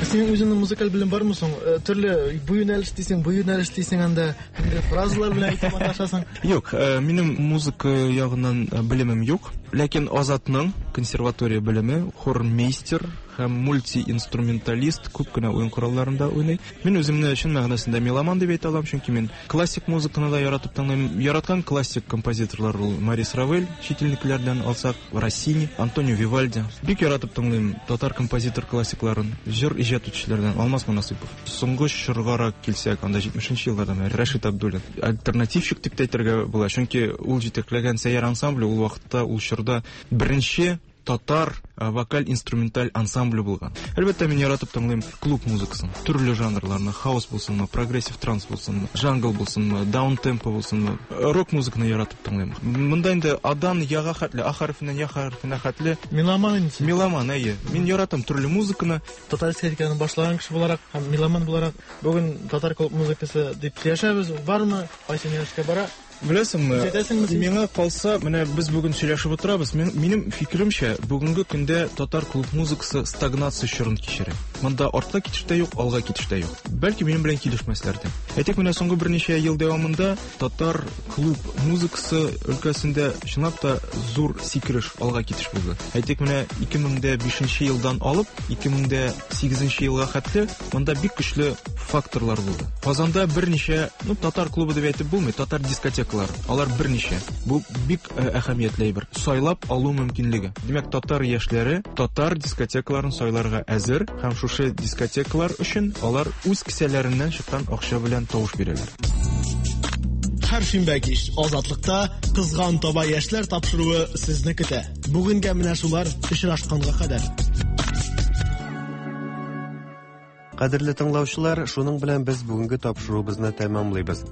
Синең үзеңнең музыкаль белем бармы соң? Төрле бу юнәлеш дисең, бу юнәлеш дисең анда, инде фразалар белән әйтеп маташасың. Юк, минем музыка ягыннан белемем юк. Ләкин Азатның консерватория белеме, хормейстер һәм мультиинструменталист, күп кенә уен коралларында уйный. Мин үземне чын мәгънәсендә меломан дип әйтә алам, чөнки мин классик музыканы да яратып тыңлыйм. Яраткан классик композиторлар ул Морис Равель, чит илнекеләрдән алсак, Россини, Антонио Вивальди. Бик яратып тыңлыйм татар композитор классикларын, җыр иҗат итүчеләрдән Алмаз Монасыйпов. Соңгы чоргарак килсәк, анда 70 елларда менә Рәшит Абдуллин. Альтернативщик дип тә әйтергә була, чөнки ул җитәкләгән Сәйяр ансамбле ул вакытта, ул чорда беренче татар вокаль-инструменталь ансамбле булган. Әлбәттә, мин яратып тыңлыйм клуб музыкасын, төрле жанрларны, хаус булсынмы, прогрессив транс булсынмы, джангл булсынмы, даун-темпо булсынмы, рок музыканы яратып тыңлыйм. Монда инде адан яга хәтле, а хәрефеннән я хәрефенә хәтле. Меломан инде син. Меломан, әйе. Мин яратам төрле музыканы. Татар эстетиканы башлаган кеше буларак һәм меломан буларак, бүген татар клуб музыкасы дип сөйләшәбез. Ул бармы? Кайсы юнәлешкә бара? Беләсеңме, миңа калса, менә без бүген сөйләшеп утырабыз. Минем фикеремчә, бүгенге көндә татар клуб музыкасы стагнация чорын кичерә. Монда артка китеш тә юк, алга китеш тә юк. Бәлки минем белән килешмәсләр дә. Әйтик, менә соңгы берничә ел дәвамында татар клуб музыкасы өлкәсендә чынлап та зур сикереш, алга китеш булды. Әйтик, менә 2005 елдан алып 2008 елга хәтле монда бик көчле факторлар булды. Казанда берничә, ну, татар клубы дип әйтеп булмый, татар дискотекалары. Алар берничә. Бу бик э, әһәмиятле әйбер. Сайлап алу мөмкинлеге. Димәк, татар яшьләре татар дискотекаларын сайларга әзер һәм шушы дискотекалар өчен алар үз кесәләреннән чыккан акча белән тавыш бирәләр. Һәр шимбә кич Азатлыкта Кызган таба яшьләр тапшыруы сезне көтә. Бүгенгә менә шулар очрашканга кадәр. Кадерле тыңлаучылар, шуның белән без бүгенге тапшыруыбызны тәмамлыйбыз.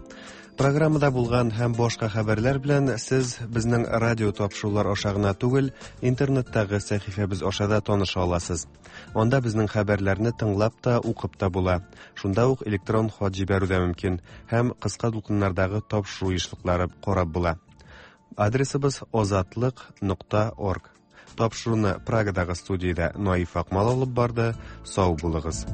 Программада булган һәм башка хәбәрләр белән сез безнең радио тапшырулар аша гына түгел, интернеттагы сәхифәбез аша да таныша аласыз. Анда безнең хәбәрләрне тыңлап та, укып та була. Шунда ук электрон хат җибәрү дә мөмкин һәм кыска дулкыннардагы тапшыру ешлыклары карап була. Адресыбыз озатлык.орг. Тапшыруны Прагадагы студиядә Наиф Акмал алып барды. Сау булыгыз.